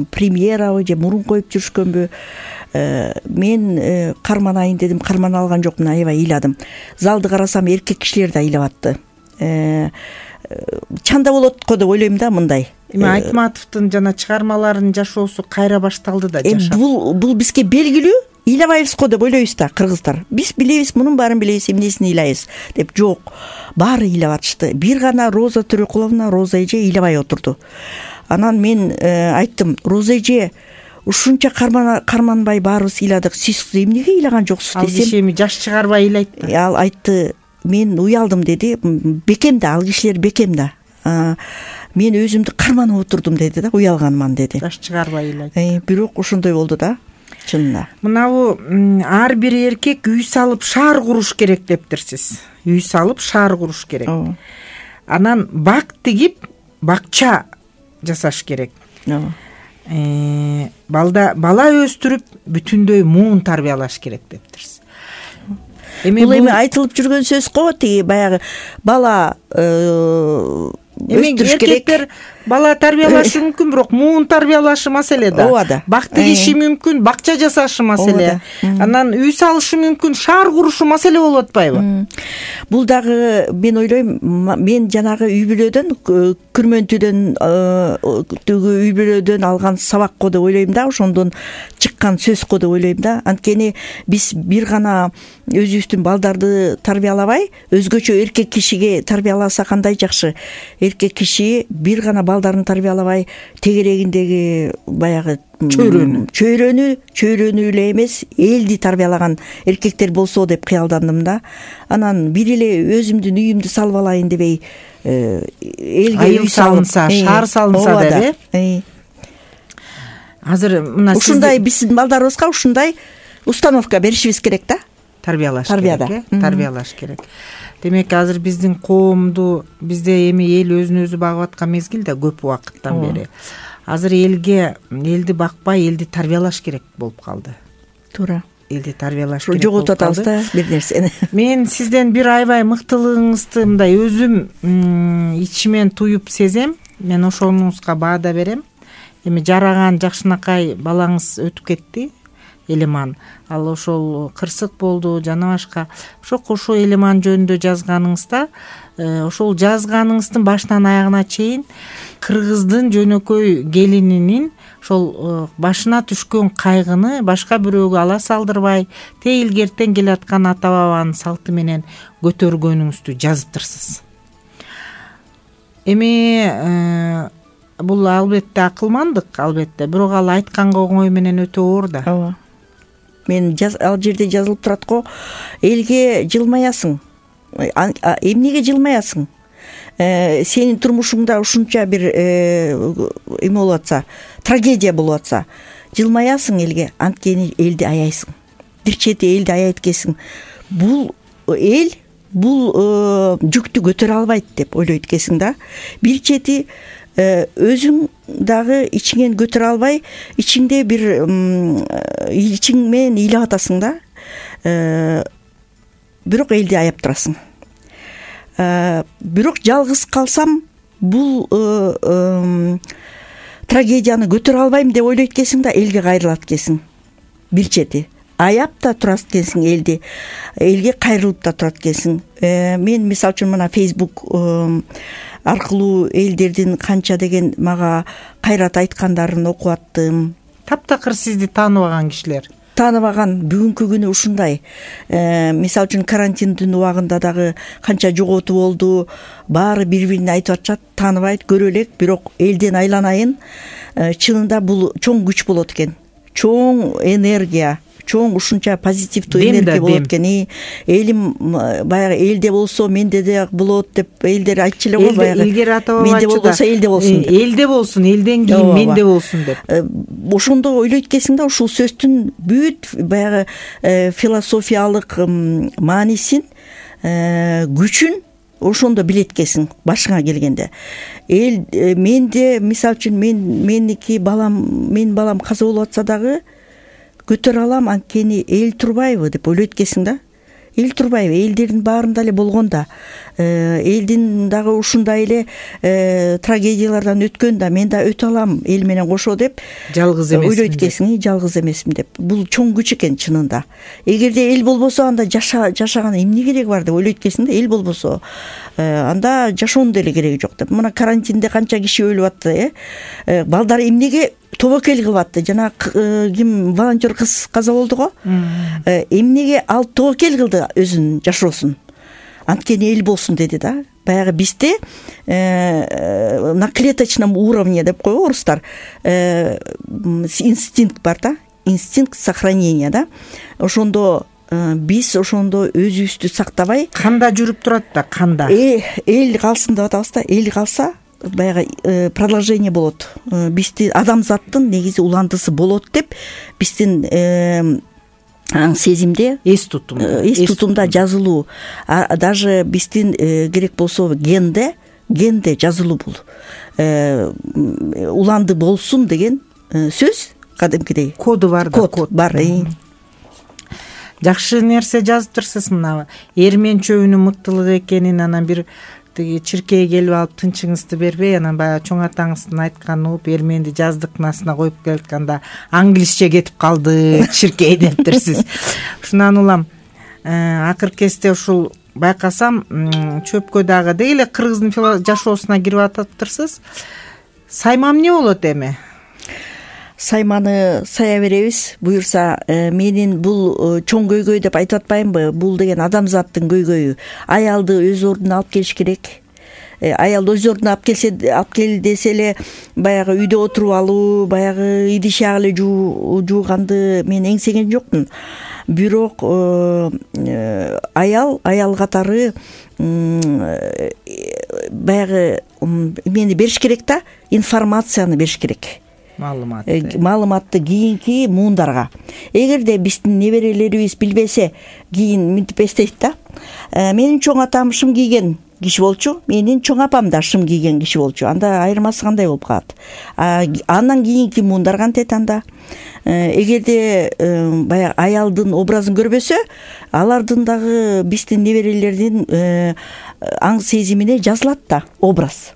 премьерабы же мурун коюп жүрүшкөнбү? Мен карманайын дедим, кармана алган жокмун, аябай ыйладым. Залды карасам эркек кишилер да ыйлап атты. Чанда болот го деп ойлойм да мындай. Эми Айтматовдун жана чыгармаларынын жашоосу кайра башталды да жашап. Бул бизге белгилүү, ыйлабайбыз го деп ойлойбуз да кыргыздар. Биз билебиз, мунун баарын билебиз, эмнесин ыйлайбыз деп. Жок, баары ыйлап атышты. Бир гана Роза Төрөкуловна, Роза эже ыйлабай отурду. Анан мен айттым, Роза эже, ушунча карманбай баарыбыз ыйладык, сиз эмнеге ыйлаган жоксуз десем. Ал киши эми жаш чыгарбай ыйлайт да. Ал айтты, мен уялдым деди. Бекем да, ал кишилер бекем да. Мен өзүмдү карманып отурдум деди да, уялганман деди. Жаш чыгарбай ыйлайт. Бирок ошондой болду да, чынында. Мынабу ар бир эркек үй салып шаар куруш керек дептирсиз. Үй салып шаар куруш керек. Анан бак тигип бакча жасаш керек. Бала өстүрүп бүтүндөй муун тарбиялаш керек дептирсиз. Бул эми айтылып жүргөн сөз го, тиги баягы бала өстүрүш керек. Эркектер бала тарбиялашы мүмкүн, бирок муун тарбиялашы маселе да. Ооба да. Бак тигиши мүмкүн, бакча жасашы маселе. Анан үй салышы мүмкүн, шаар курушу маселе болуп атпайбы? Бул дагы мен ойлойм, мен жанагы үй бүлөдөн, күрмөнтүдөн, үй бүлөдөн алган сабак го деп ойлойм да, ошондон чыккан сөз го деп ойлойм да. Анткени биз бир гана өзүбүздүн балдарды тарбиялабай, өзгөчө эркек кишиге тарбияласа кандай жакшы. Эркек киши бир гана балдарын тарбиялабай, тегерегиндеги баягы чөйрөнү эле эмес, элди тарбиялаган эркектер болсо деп кыялдандым да. Анан бир эле өзүмдүн үйүмдү салып алайын дебей, элге үй салынса, шаар салынса деп. Азыр мына ушундай биздин балдарыбызга ушундай установка беришибиз керек да. Тарбиялаш керек, тарбиялаш керек. Демек азыр биздин коомду, бизде эми эл өзүн өзү багып аткан мезгил да көп убакыттан бери. Азыр элди бакпай, элди тарбиялаш керек болуп калды. Туура. Элди тарбиялаш керек. Жоготуп атабыз да бир нерсени. Мен сизден бир аябай мыктылыгыңызды мындай өзүм ичимен туюп сезем. Мен ошонуңузга баада берем. Эми жараган жакшынакай балаңыз өтүп кетти. Элеман, ал ошол кырсык болду жана башка. Ошо Элеман жөнүндө жазганыңызда, ошол жазганыңыздын башынан аягына чейин кыргыздын жөнөкөй келининин ошол башына түшкөн кайгыны башка бирөөгө ала салдырбай, тейлгертен келаткан ата бабанын салты менен көтөргөнүңүздү жазыптырсыз. Эми бул албетте акылмандык, албетте, бирок ал айтканга оңой менен өтө оор да. Ооба. Мен ал жерде жазылып турат го, элге жылмаясың. Эмнеге жылмаясың? Сенин турмушуңда ушунча бир эме болуп атса, трагедия болуп атса, жылмаясың элге, анткени элди аяйсың. Бир чети элди аяйт экенсиң. Бул эл жүктү көтөрө албайт деп ойлойт экенсиң да. Бир чети өзүң дагы ичиңен көтөрө албай, ичиңде бир ичиң менен ыйлап атасың да. Бирок элди аяп турасың. Бирок жалгыз калсам, бул трагедияны көтөрө албайм деп ойлойт экенсиң да, элге кайрылат экенсиң. Бир чети аяп да турат экенсиң элди, элге кайрылып да турат экенсиң. Мен мисалы үчүн мына Facebook аркылуу элдердин канча деген мага кайрат айткандарын окуп аттым. Таптакыр сизди тааныбаган кишилер. Тааныбаган бүгүнкү күнү ушундай. Мисалы үчүн карантиндин убагында дагы канча жоготуу болду. Баары бири-бирине айтып атышат, тааныбайт, көрө элек, бирок элден айланайын. Чынында бул чоң күч болот экен. Чоң энергия, чоң ушунча позитивдүү энергия болот экен. Элим баягы элде болсо менде да болот деп элдер айтчу эле го баягы. Илгери ата баба менде болбосо элде болсун деп. Элде болсун, элден кийин менде болсун деп. Ошондо ойлойт экенсиң да ушул сөздүн бүт баягы философиялык маанисин, күчүн ошондо билет экенсиң башыңа келгенде. Эл менде мисалы үчүн менин балам каза болуп атса дагы көтөрө алам, анткени эл турбайбы деп ойлойт экенсиң да. Эл турбайбы, элдердин баарында эле болгон да, элдин дагы ушундай эле трагедиялардан өткөн да, мен да өтө алам эл менен кошо деп жалгыз эмесмин. Ойлойт экенсиң, жалгыз эмесмин деп. Бул чоң күч экен чынында. Эгерде эл болбосо анда жашаган эмне кереги бар деп ойлойт экенсиң да. Эл болбосо анда жашоонун деле кереги жок деп. Мына карантинде канча киши өлүп атты, балдар эмнеге тобокел кылып атты. Жана ким волонтер кыз каза болду го. Эмнеге ал тобокел кылды өзүнүн жашоосун? Анткени эл болсун деди да. Баягы бизде на клеточном уровне деп койго орустар. Инстинкт бар да. Инстинкт сохранения да. Ошондо биз ошондо өзүбүздү сактабай, канда жүрүп турат да, канда. Эл калсын деп атабыз да. Эл калса баягы продолжение болот. Биздин адамзаттын негизи уландысы болот деп биздин аң сезимде, эс тутумда жазылуу. Даже биздин керек болсо генде жазылуу бул. Уланды болсун деген сөз кадимкидей. Коду бар да, код бар. Жакшы нерсе жазып турсуз, мына эрмен чөбүнүн мыктылыгы экенин, анан бир тиги чиркей келип алып тынчыңызды бербей, анан баягы чоң атаңыздын айтканын угуп эрменди жаздыкнасына коюп келатканда англисче кетип калды чиркей дептирсиз. Ушундан улам акыркы кезде ушул байкасам чөпкө дагы деги эле кыргыздын жашоосуна кирип атыптырсыз. Сайма эмне болот эми? Сайманы сая беребиз, буюрса. Менин бул чоң көйгөй деп айтып атпаймынбы? Бул деген адамзаттын көйгөйү. Аялды өз ордуна алып келиш керек. Аялды өз ордуна алып кел десе эле баягы үйдө отуруп алуу, баягы идиш эле жууганды мен эңсеген жокмун. Бирок аял катары баягы эмени бериш керек да, информацияны бериш керек. Маалыматты кийинки муундарга. Эгерде биздин неберелерибиз билбесе, кийин мынтип эстейт да. Менин чоң атам шым кийген киши болчу, менин чоң апам да шым кийген киши болчу. Анда айырмасы кандай болуп калат? Андан кийинки муундар кантет анда? Эгерде баягы аялдын образын көрбөсө, алардын дагы биздин неберелердин аң сезимине жазылат да образ.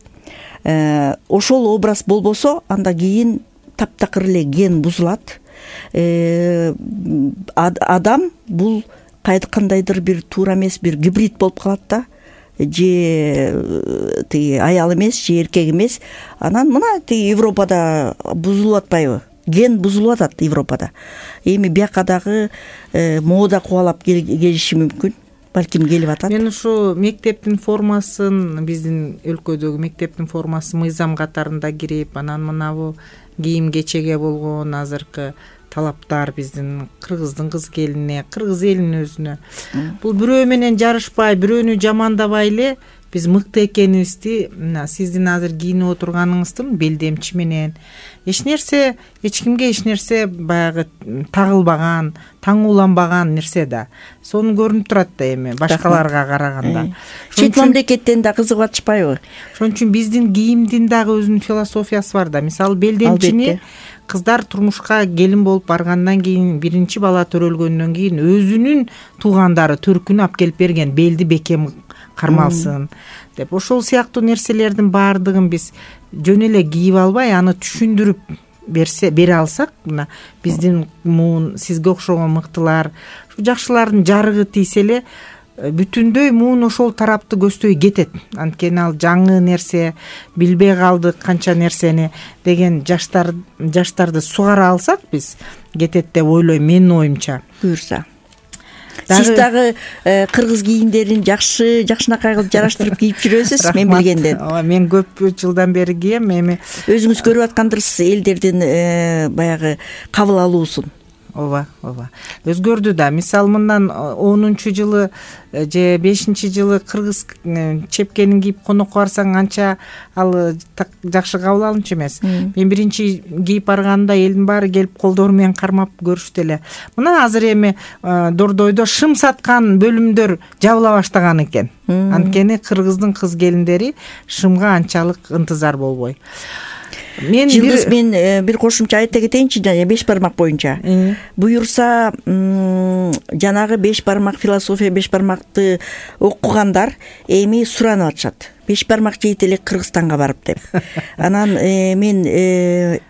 Ошол образ болбосо, анда кийин таптакыр эле ген бузулат. Адам бул кандайдыр бир туура эмес бир гибрид болуп калат да. Же тиги аял эмес, же эркек эмес. Анан мына тиги Европада бузулуп атпайбы? Ген бузулуп атат Европада. Эми бияка дагы мода кубалап келиши мүмкүн. Балким келип атат. Мен ушу мектептин формасын, биздин өлкөдөгү мектептин формасы мыйзам катарында кирип, анан мынабу кийим кечеге болгон азыркы талаптар биздин кыргыздын кыз келинине, кыргыз элинин өзүнө. Бул бирөө менен жарышпай, бирөөнү жамандабай эле биз мыкты экенибизди, мына сиздин азыр кийинип отурганыңыздын белдемчи менен эч кимге эч нерсе баягы тагылбаган, таңууланбаган нерсе да. Сону көрүнүп турат да эми башкаларга караганда. Чет мамлекеттен да кызыгып атышпайбы? Ошон үчүн биздин кийимдин дагы өзүнүн философиясы бар да. Мисалы белдемчини кыздар турмушка келин болуп баргандан кийин, биринчи бала төрөлгөндөн кийин өзүнүн туугандары төркүнү алып келип берген, белди бекем кармалсын деп. Ошол сыяктуу нерселердин баардыгын биз жөн эле кийип албай, аны түшүндүрүп бере алсак, мына биздин муун, сизге окшогон мыктылар, жакшылардын жарыгы тийсе эле бүтүндөй муун ошол тарапты көздөй кетет. Анткени ал жаңы нерсе, билбей калдык канча нерсени деген жаштарды сугара алсак биз кетет деп ойлойм, менин оюмча. Буюрса. Сиз дагы кыргыз кийимдерин жакшынакай кылып жараштырып кийип жүрөсүз, мен билгенден. Мен көп жылдан бери кийем. Эми өзүңүз көрүп аткандырсыз элдердин баягы кабыл алуусун. ооба өзгөрдү да. Мисалы мындан 10-жылы же 5-жылы кыргыз чепкенин кийип конокко барсаң анча ал жакшы кабыл алынчу эмес. Мен биринчи кийип барганда элдин баары келип колдору менен кармап көрүштү эле. Мына азыр эми Дордойдо шым саткан бөлүмдөр жабыла баштаган экен. Анткени кыргыздын кыз келиндери шымга анчалык ынтызар болбой. Мен бир кошумча айта кетейинчи, 5 бармак боюнча. Буюрса, жанагы 5 бармак философия 5 бармакты окугандар эми суранып атышат. 5 бармак жейт элек Кыргызстанга барып деп. Анан мен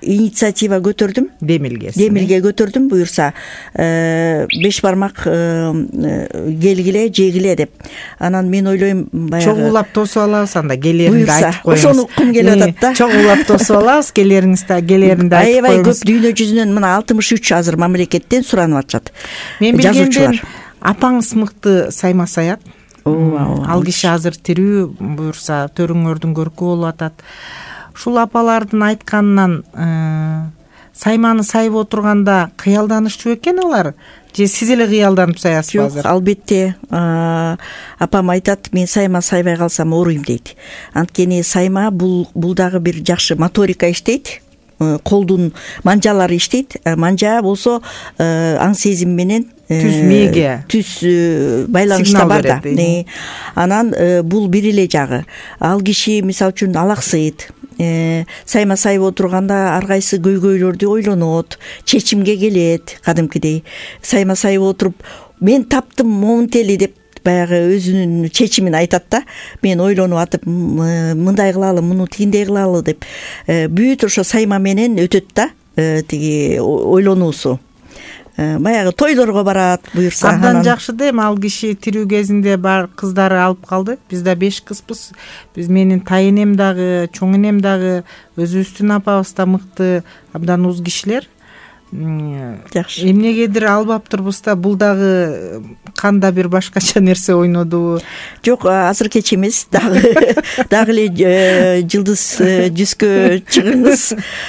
инициатива көтөрдүм. Демилге көтөрдүм. Буюрса 5 бармак келгиле, жегиле деп. Анан мен ойлойм, баягы чогуулап тосуп алабыз, анда келеринде айтып коебуз. Ошону уккум келип атат да. Чогуулап тосуп алабыз, келеринде айтып коебуз. Аябай көп дүйнө жүзүнөн мына 63 азыр мамлекеттен суранып атышат. Мен билгенден апаңыз мыкты сайма саят. Ал киши азыр тирүү, буюрса төрүңөрдүн көркү болуп атат. Ушул апалардын айтканынан сайманы сайып отурганда кыялданышчу экен алар? Же сиз эле кыялданып саясызбы азыр? Жок, албетте. Апам айтат, мен сайма сайбай калсам ооруйм дейт. Анткени сайма бул дагы бир жакшы моторика иштейт. Колдун манжалары иштейт. Манжа болсо аң сезим менен түз мээге байланышта бар да. Анан бул бир эле жагы. Ал киши мисалы үчүн алаксыйт. Сайма сайып отурганда ар кайсы көйгөйлөрдү ойлонот, чечимге келет кадимкидей. Сайма сайып отуруп, мен таптым момунтели деп баягы өзүнүн чечимин айтат да. Мен ойлонуп атып, мындай кылалы, муну тигиндей кылалы деп. Бүт ошо сайма менен өтөт да, тиги ойлонуусу. Баягы тойлорго барат, буюрса. Абдан жакшы да, эми ал киши тирүү кезинде бар кыздары алып калды. Биз да 5 кызбыз. Биз менин тайынем дагы, чоң энем дагы, өзүбүздүн апабыз да мыкты, абдан уз кишилер. Жакшы. Эмнегедир албаптырбыз да, бул дагы канда бир башкача нерсе ойнодубу? Жок, азыр кеч эмес, дагы эле жылдыз жүзгө чыгыңыз.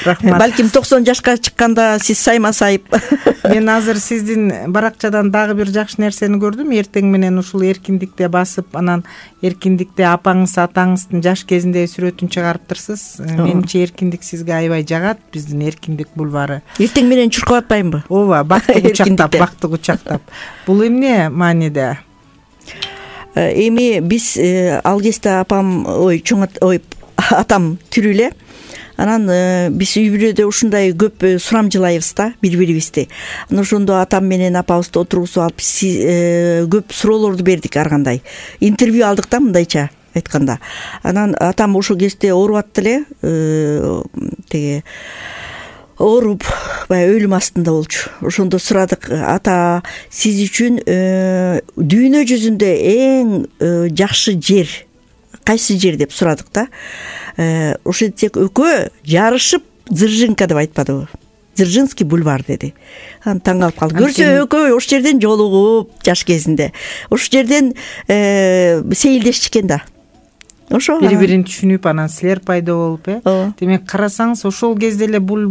Рахмат. Балким 90 жашка чыкканда сиз сайма сайып. Мен азыр сиздин баракчадан дагы бир жакшы нерсени көрдүм. Эртең менен ушул эркиндикте басып, анан эркиндикте апаңыз, атаңыздын жаш кезиндеги сүрөтүн чыгарыптырсыз. Менимче эркиндик сизге аябай жагат, биздин эркиндик бульвары. Эртең менен чуркап атпайбы? Ооба, бактык учактап. Бул эмне мааниде? Эми биз ал кезде апам, атам тирүү эле. Анан биз үй бүлөдө ушундай көп сурамжылайбыз да бири-бирибизди. Анан ошондо атам менен апабызды отургузуп алып көп суроолорду бердик ар кандай. Интервью алдык да, мындайча айтканда. Анан атам ошол кезде ооруп атты эле, тиги ооруп, баягы өлүм астында болчу. Ошондо сурадык, ата, сиз үчүн дүйнө жүзүндө эң жакшы жер кайсы жер деп сурадык да. Ошентсек экөө жарышып Дзержинка деп айтпадыбы? Дзержинский бульвар деди. Анан таң калып калды. Көрсө экөө ош жерден жолугуп жаш кезинде. Ош жерден сейилдешчикен да. Ошо бири-бирин түшүнүп, анан силер пайда болуп, демек карасаңыз ошол кезде эле бул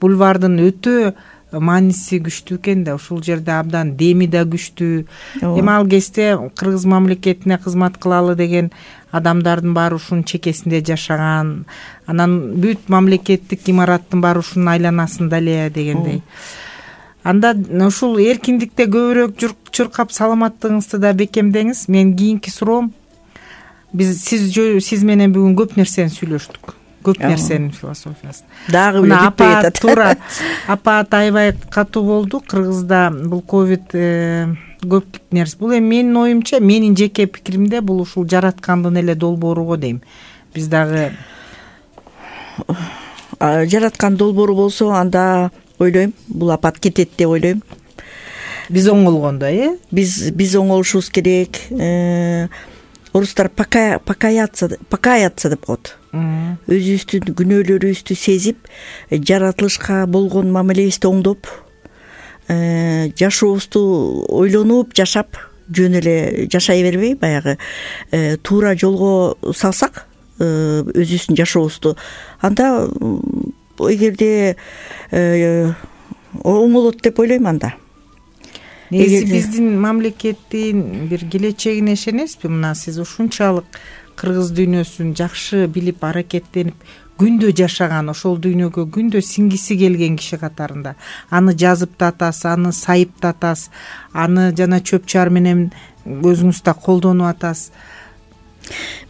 бульвардын өтө мааниси күчтүү экен да. Ушул жерде абдан деми да күчтүү. Эми ал кезде кыргыз мамлекетине кызмат кылалы деген адамдардын баары ушунун чекесинде жашаган. Анан бүт мамлекеттик имараттын баары ушунун айланасында эле дегендей. Анда ушул эркиндикте көбүрөөк чуркап саламаттыгыңызды да бекемдеңиз. Мен кийинки суроом, сиз менен бүгүн көп нерсени сүйлөштүк. Көп нерсенин философиясын. Дагы бир бүтпөй атат. Туура. Апа аябай катуу болду. Кыргызда бул ковид көп нерсе. Бул эми менин оюмча, менин жеке пикиримде бул ушул жараткандын эле долбоору го дейм. Биз дагы жараткан долбоору болсо, анда ойлойм, бул апат кетет деп ойлойм. Биз оңолгондо, Биз оңолушубуз керек. Орустар покаяться деп коет. Өзүбүздүн күнөөлөрүбүздү сезип, жаратылышка болгон мамилебизди оңдоп, жашообузду ойлонуп жашап, жөн эле жашай бербей, баягы туура жолго салсак өзүбүздүн жашообузду, анда эгерде оңолот деп ойлойм анда. негизи биздин мамлекеттин бир келечегине ишенесизби? Мына сиз ушунчалык кыргыз дүйнөсүн жакшы билип аракеттенип күндө жашаган, ошол дүйнөгө күндө сиңгиси келген киши катарында аны жазып да атасыз, аны сайып да атасыз, аны жана чөп чаар менен өзүңүз да колдонуп атасыз.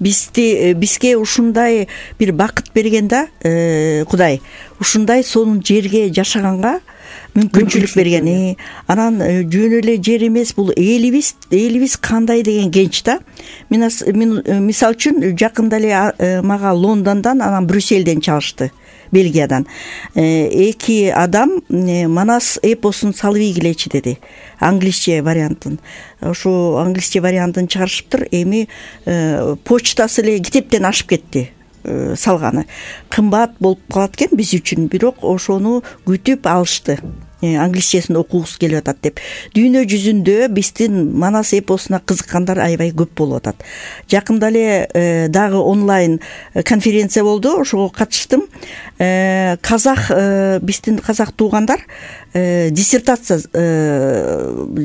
Бизге ушундай бир бакыт берген да Кудай, ушундай сонун жерге жашаганга мүмкүнчүлүк берген. Анан жөн эле жер эмес, бул элибиз кандай деген кенч да. Мен мисалы үчүн жакында эле мага Лондондон, анан Брюсселден чалышты, Бельгиядан. 2 адам Манас эпосун салып ийгилечи деди, англисче вариантын. Ошо англисче вариантын чыгарышыптыр. Эми почтасы эле китептен ашып кетти. Салганы кымбат болуп калат экен биз үчүн, бирок ошону күтүп алышты, англисчесин окугусу келип атат деп. Дүйнө жүзүндө биздин Манас эпосуна кызыккандар аябай көп болуп атат. Жакында эле дагы онлайн конференция болду, ошого катыштым. Биздин казак туугандар диссертация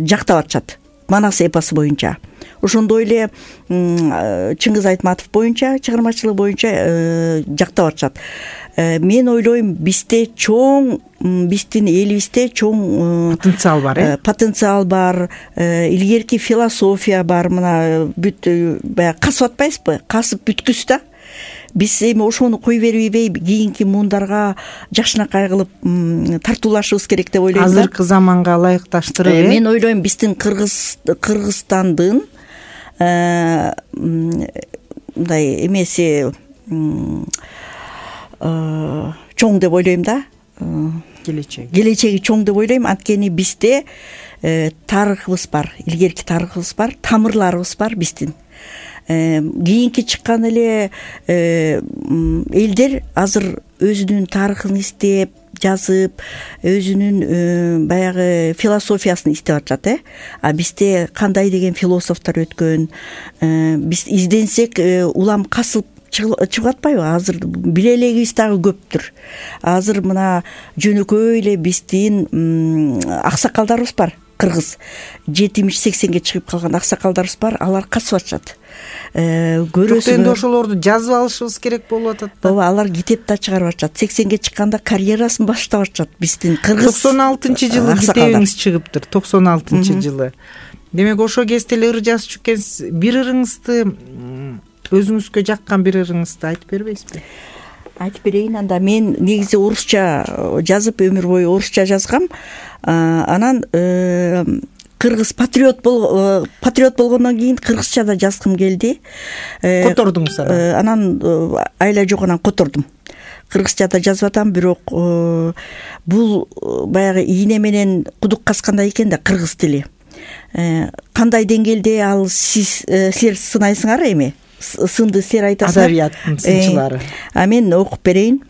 жактап атышат Манас эпосу боюнча. Ошондой эле Чыңгыз Айтматов боюнча, чыгармачылык боюнча жактап атышат. Мен ойлойм, биздин элибизде чоң потенциал бар, илгерки философия бар. Мына бүт баягы касып атпайсызбы? Касып бүткүс да. Биз эми ошону кой бербей кийинки муундарга жакшынакай кылып тартуулашыбыз керек деп ойлойм. Азыркы заманга ылайыкташтырып. Мен ойлойм, биздин Кыргызстандын мындай эмеси чоң деп ойлойм да. Келечеги чоң деп ойлойм. Анткени бизде тарыхыбыз бар, илгерки тарыхыбыз бар, тамырларыбыз бар биздин. Кийинки чыккан эле элдер азыр өзүнүн тарыхын издеп, жазып, өзүнүн баягы философиясын издеп атышат. А бизде кандай деген философтор өткөн, биз изденсек улам касып чыгып атпайбы? Азыр биле элегибиз дагы көптүр. Азыр мына жөнөкөй эле биздин аксакалдарыбыз бар. Кыргыз 70-80ге чыгып калган аксакалдарыбыз бар, алар касып атышат. Көрөсүң, эми ошолорду жазып алышыбыз керек болуп атат да. Ооба, алар китеп да чыгарып атышат. 80ге чыкканда карьерасын баштап атышат биздин Кыргыз. 96-жылы китебиңиз чыгыптыр, 96-жылы. Демек ошо кезде эле ыр жазып чыккенсиз. Бир ырыңызды, өзүңүзгө жаккан бир ырыңызды айтып бербейсизби? Айтып берейин. Анда мен негизи орусча жазып, өмүр бою орусча жазгам. Анан кыргыз патриот болгондон кийин кыргызча да жазгым келди. Котордуңуз анан айла жок, анан котордум. Кыргызча да жазып атам, бирок бул баягы ийне менен кудук каскандай экен да кыргыз тили. Кандай деңгээлде ал силер сынайсыңар эми? Сынды силер айтасыңар. Адабияттын сынчылары. Мен окуп берейин.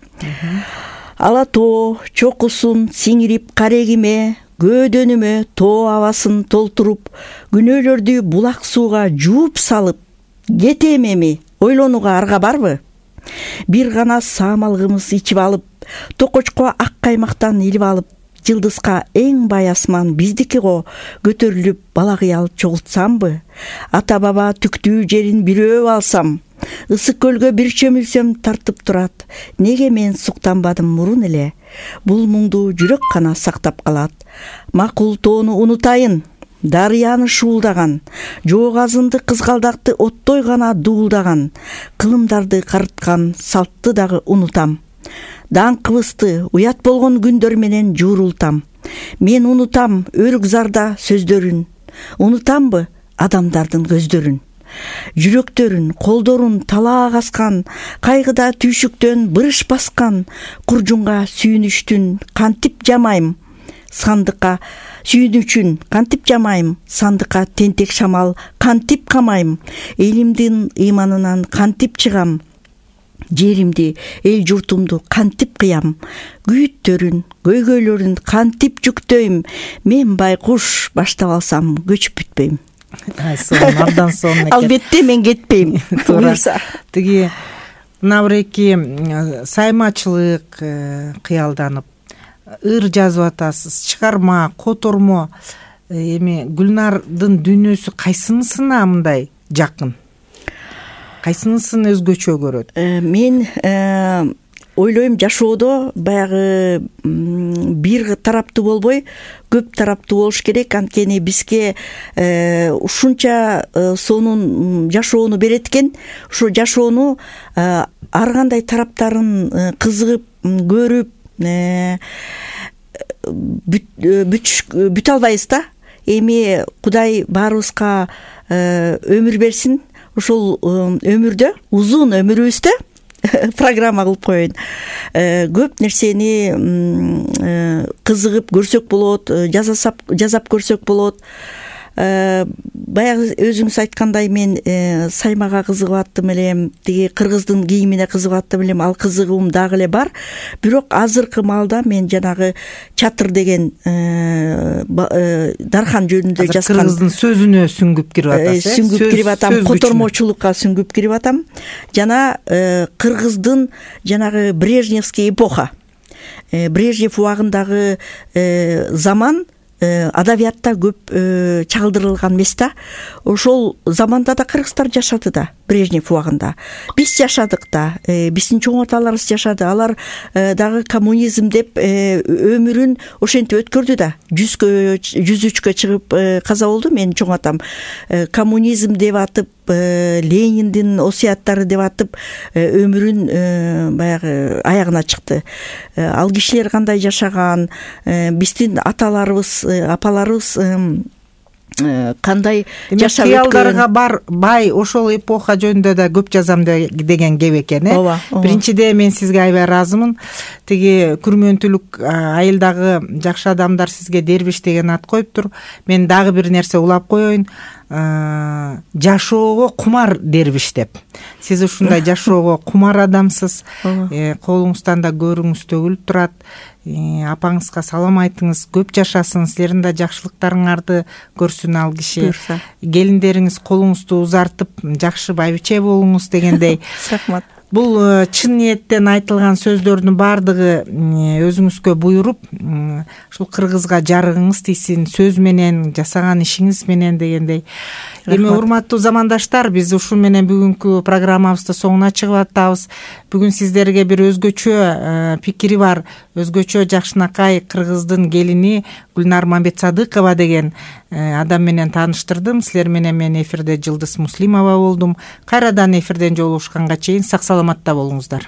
Ала тоо чокусун сиңирип карегиме, көөдөнүмө тоо абасын толтуруп, күнөөлөрдү булак сууга жууп салып, кетем эми, ойлонууга арга барбы? Бир гана саамалгымыз ичип алып, токочко ак каймактан илип алып, жылдызга эң бай асман биздики го көтөрүлүп бала кыял чогултсамбы? Ата баба түктүү жерин бирөө алсам, ысык көлгө бир чөмүлсөм тартып турат. Неге мен суктанбадым мурун эле? Бул муңду жүрөк гана сактап калат. Макул тоону унутайын, дарыяны шуулдаган, жоогазынды кызгалдакты оттой гана дуулдаган, кылымдарды карыткан салтты дагы унутам. Даңкыбызды уят болгон күндөр менен жуурултам. Мен унутам өрүк зарда сөздөрүн, унутамбы адамдардын көздөрүн. Жүрөктөрүн, колдорун талаа каскан, кайгыда түйшүктөн бырыш баскан, куржунга сүйүнүштүн кантип жамайм, сандыкка сүйүнүчүн кантип жамайм, сандыкка тентек шамал кантип камайм, элимдин ыйманынан кантип чыгам, жеримди, эл журтумду кантип кыям, күйүттөрүн, көйгөйлөрүн кантип жүктөйм, мен байкуш баштап алсам көчүп бүтпөйм. Абдан сонун экен. Албетте мен кетпейм. Буюрса. Тиги мына бир эки саймачылык кыялданып, ыр жазып атасыз, чыгарма, котормо. Эми Гүлнардын дүйнөсү кайсынысына мындай жакын? Кайсынысын өзгөчө көрөт? Мен ойлойм, жашоодо баягы бир тараптуу болбой көп тараптуу болуш керек. Анткени бизге ушунча сонун жашоону берет экен. Ошо жашоону ар кандай тараптарын кызыгып көрүп бүтө албайбыз да. Эми Кудай баарыбызга өмүр берсин. Ошол өмүрдө, узун өмүрүбүздө программа кылып коеюн. Көп нерсени кызыгып көрсөк болот, жасап көрсөк болот. Баягы өзүңүз айткандай мен саймага кызыгып аттым элем, тиги кыргыздын кийимине кызыгып аттым элем, ал кызыгуум дагы эле бар. Бирок азыркы маалда мен жанагы чатыр деген дархан жөнүндө жазган кыргыздын сөзүнө сүңгүп кирип атасыз. Сүңгүп кирип атам, котормочулукка сүңгүп кирип атам. Жана кыргыздын жанагы Брежневский эпоха, Брежнев убагындагы заман адабиятта көп чагылдырылган эмес да. Ошол заманда да кыргыздар жашады да, Брежнев убагында. Биз жашадык да, биздин чоң аталарыбыз жашады. Алар дагы коммунизм деп өмүрүн ошентип өткөрдү да. 103кө чыгып каза болду. Менин чоң атам коммунизм деп атып, Лениндин осуяттары деп атып өмүрүн баягы аягына чыкты. Ал кишилер кандай жашаган, биздин аталарыбыз, апаларыбыз кандай жашап өткөн. Кыялдарга бай ошол эпоха жөнүндө да көп жазам деген кеп экен. Биринчиде мен сизге аябай ыраазымын. Тиги күрмөнтүлүк айылдагы жакшы адамдар сизге дербиш деген ат коюптур. Мен дагы бир нерсе улап коеюн. Жашоого кумар дербиш деп. Сиз ушундай жашоого кумар адамсыз. Колуңуздан да көрүңүз төгүлүп турат. Апаңызга салам айтыңыз, көп жашасын, силердин да жакшылыктарыңарды көрсүн ал киши. Келиндериңиз колуңузду узартып, жакшы байбиче болуңуз дегендей. Рахмат. Бул чын ниеттен айтылган сөздөрдүн баардыгы өзүңүзгө буйруп, ушул кыргызга жарыгыңыз тийсин сөз менен, жасаган ишиңиз менен дегендей. Эми урматтуу замандаштар, биз ушул менен бүгүнкү программабызды соңуна чыгып атабыз. Бүгүн сиздерге бир өзгөчө пикири бар, өзгөчө жакшынакай кыргыздын келини Гүлнар Мамбетсадыкова деген адам менен тааныштырдым. Силер менен мен эфирде Жылдыз Муслимова болдум. Кайрадан эфирден жолугушканга чейин сак саламатта болуңуздар.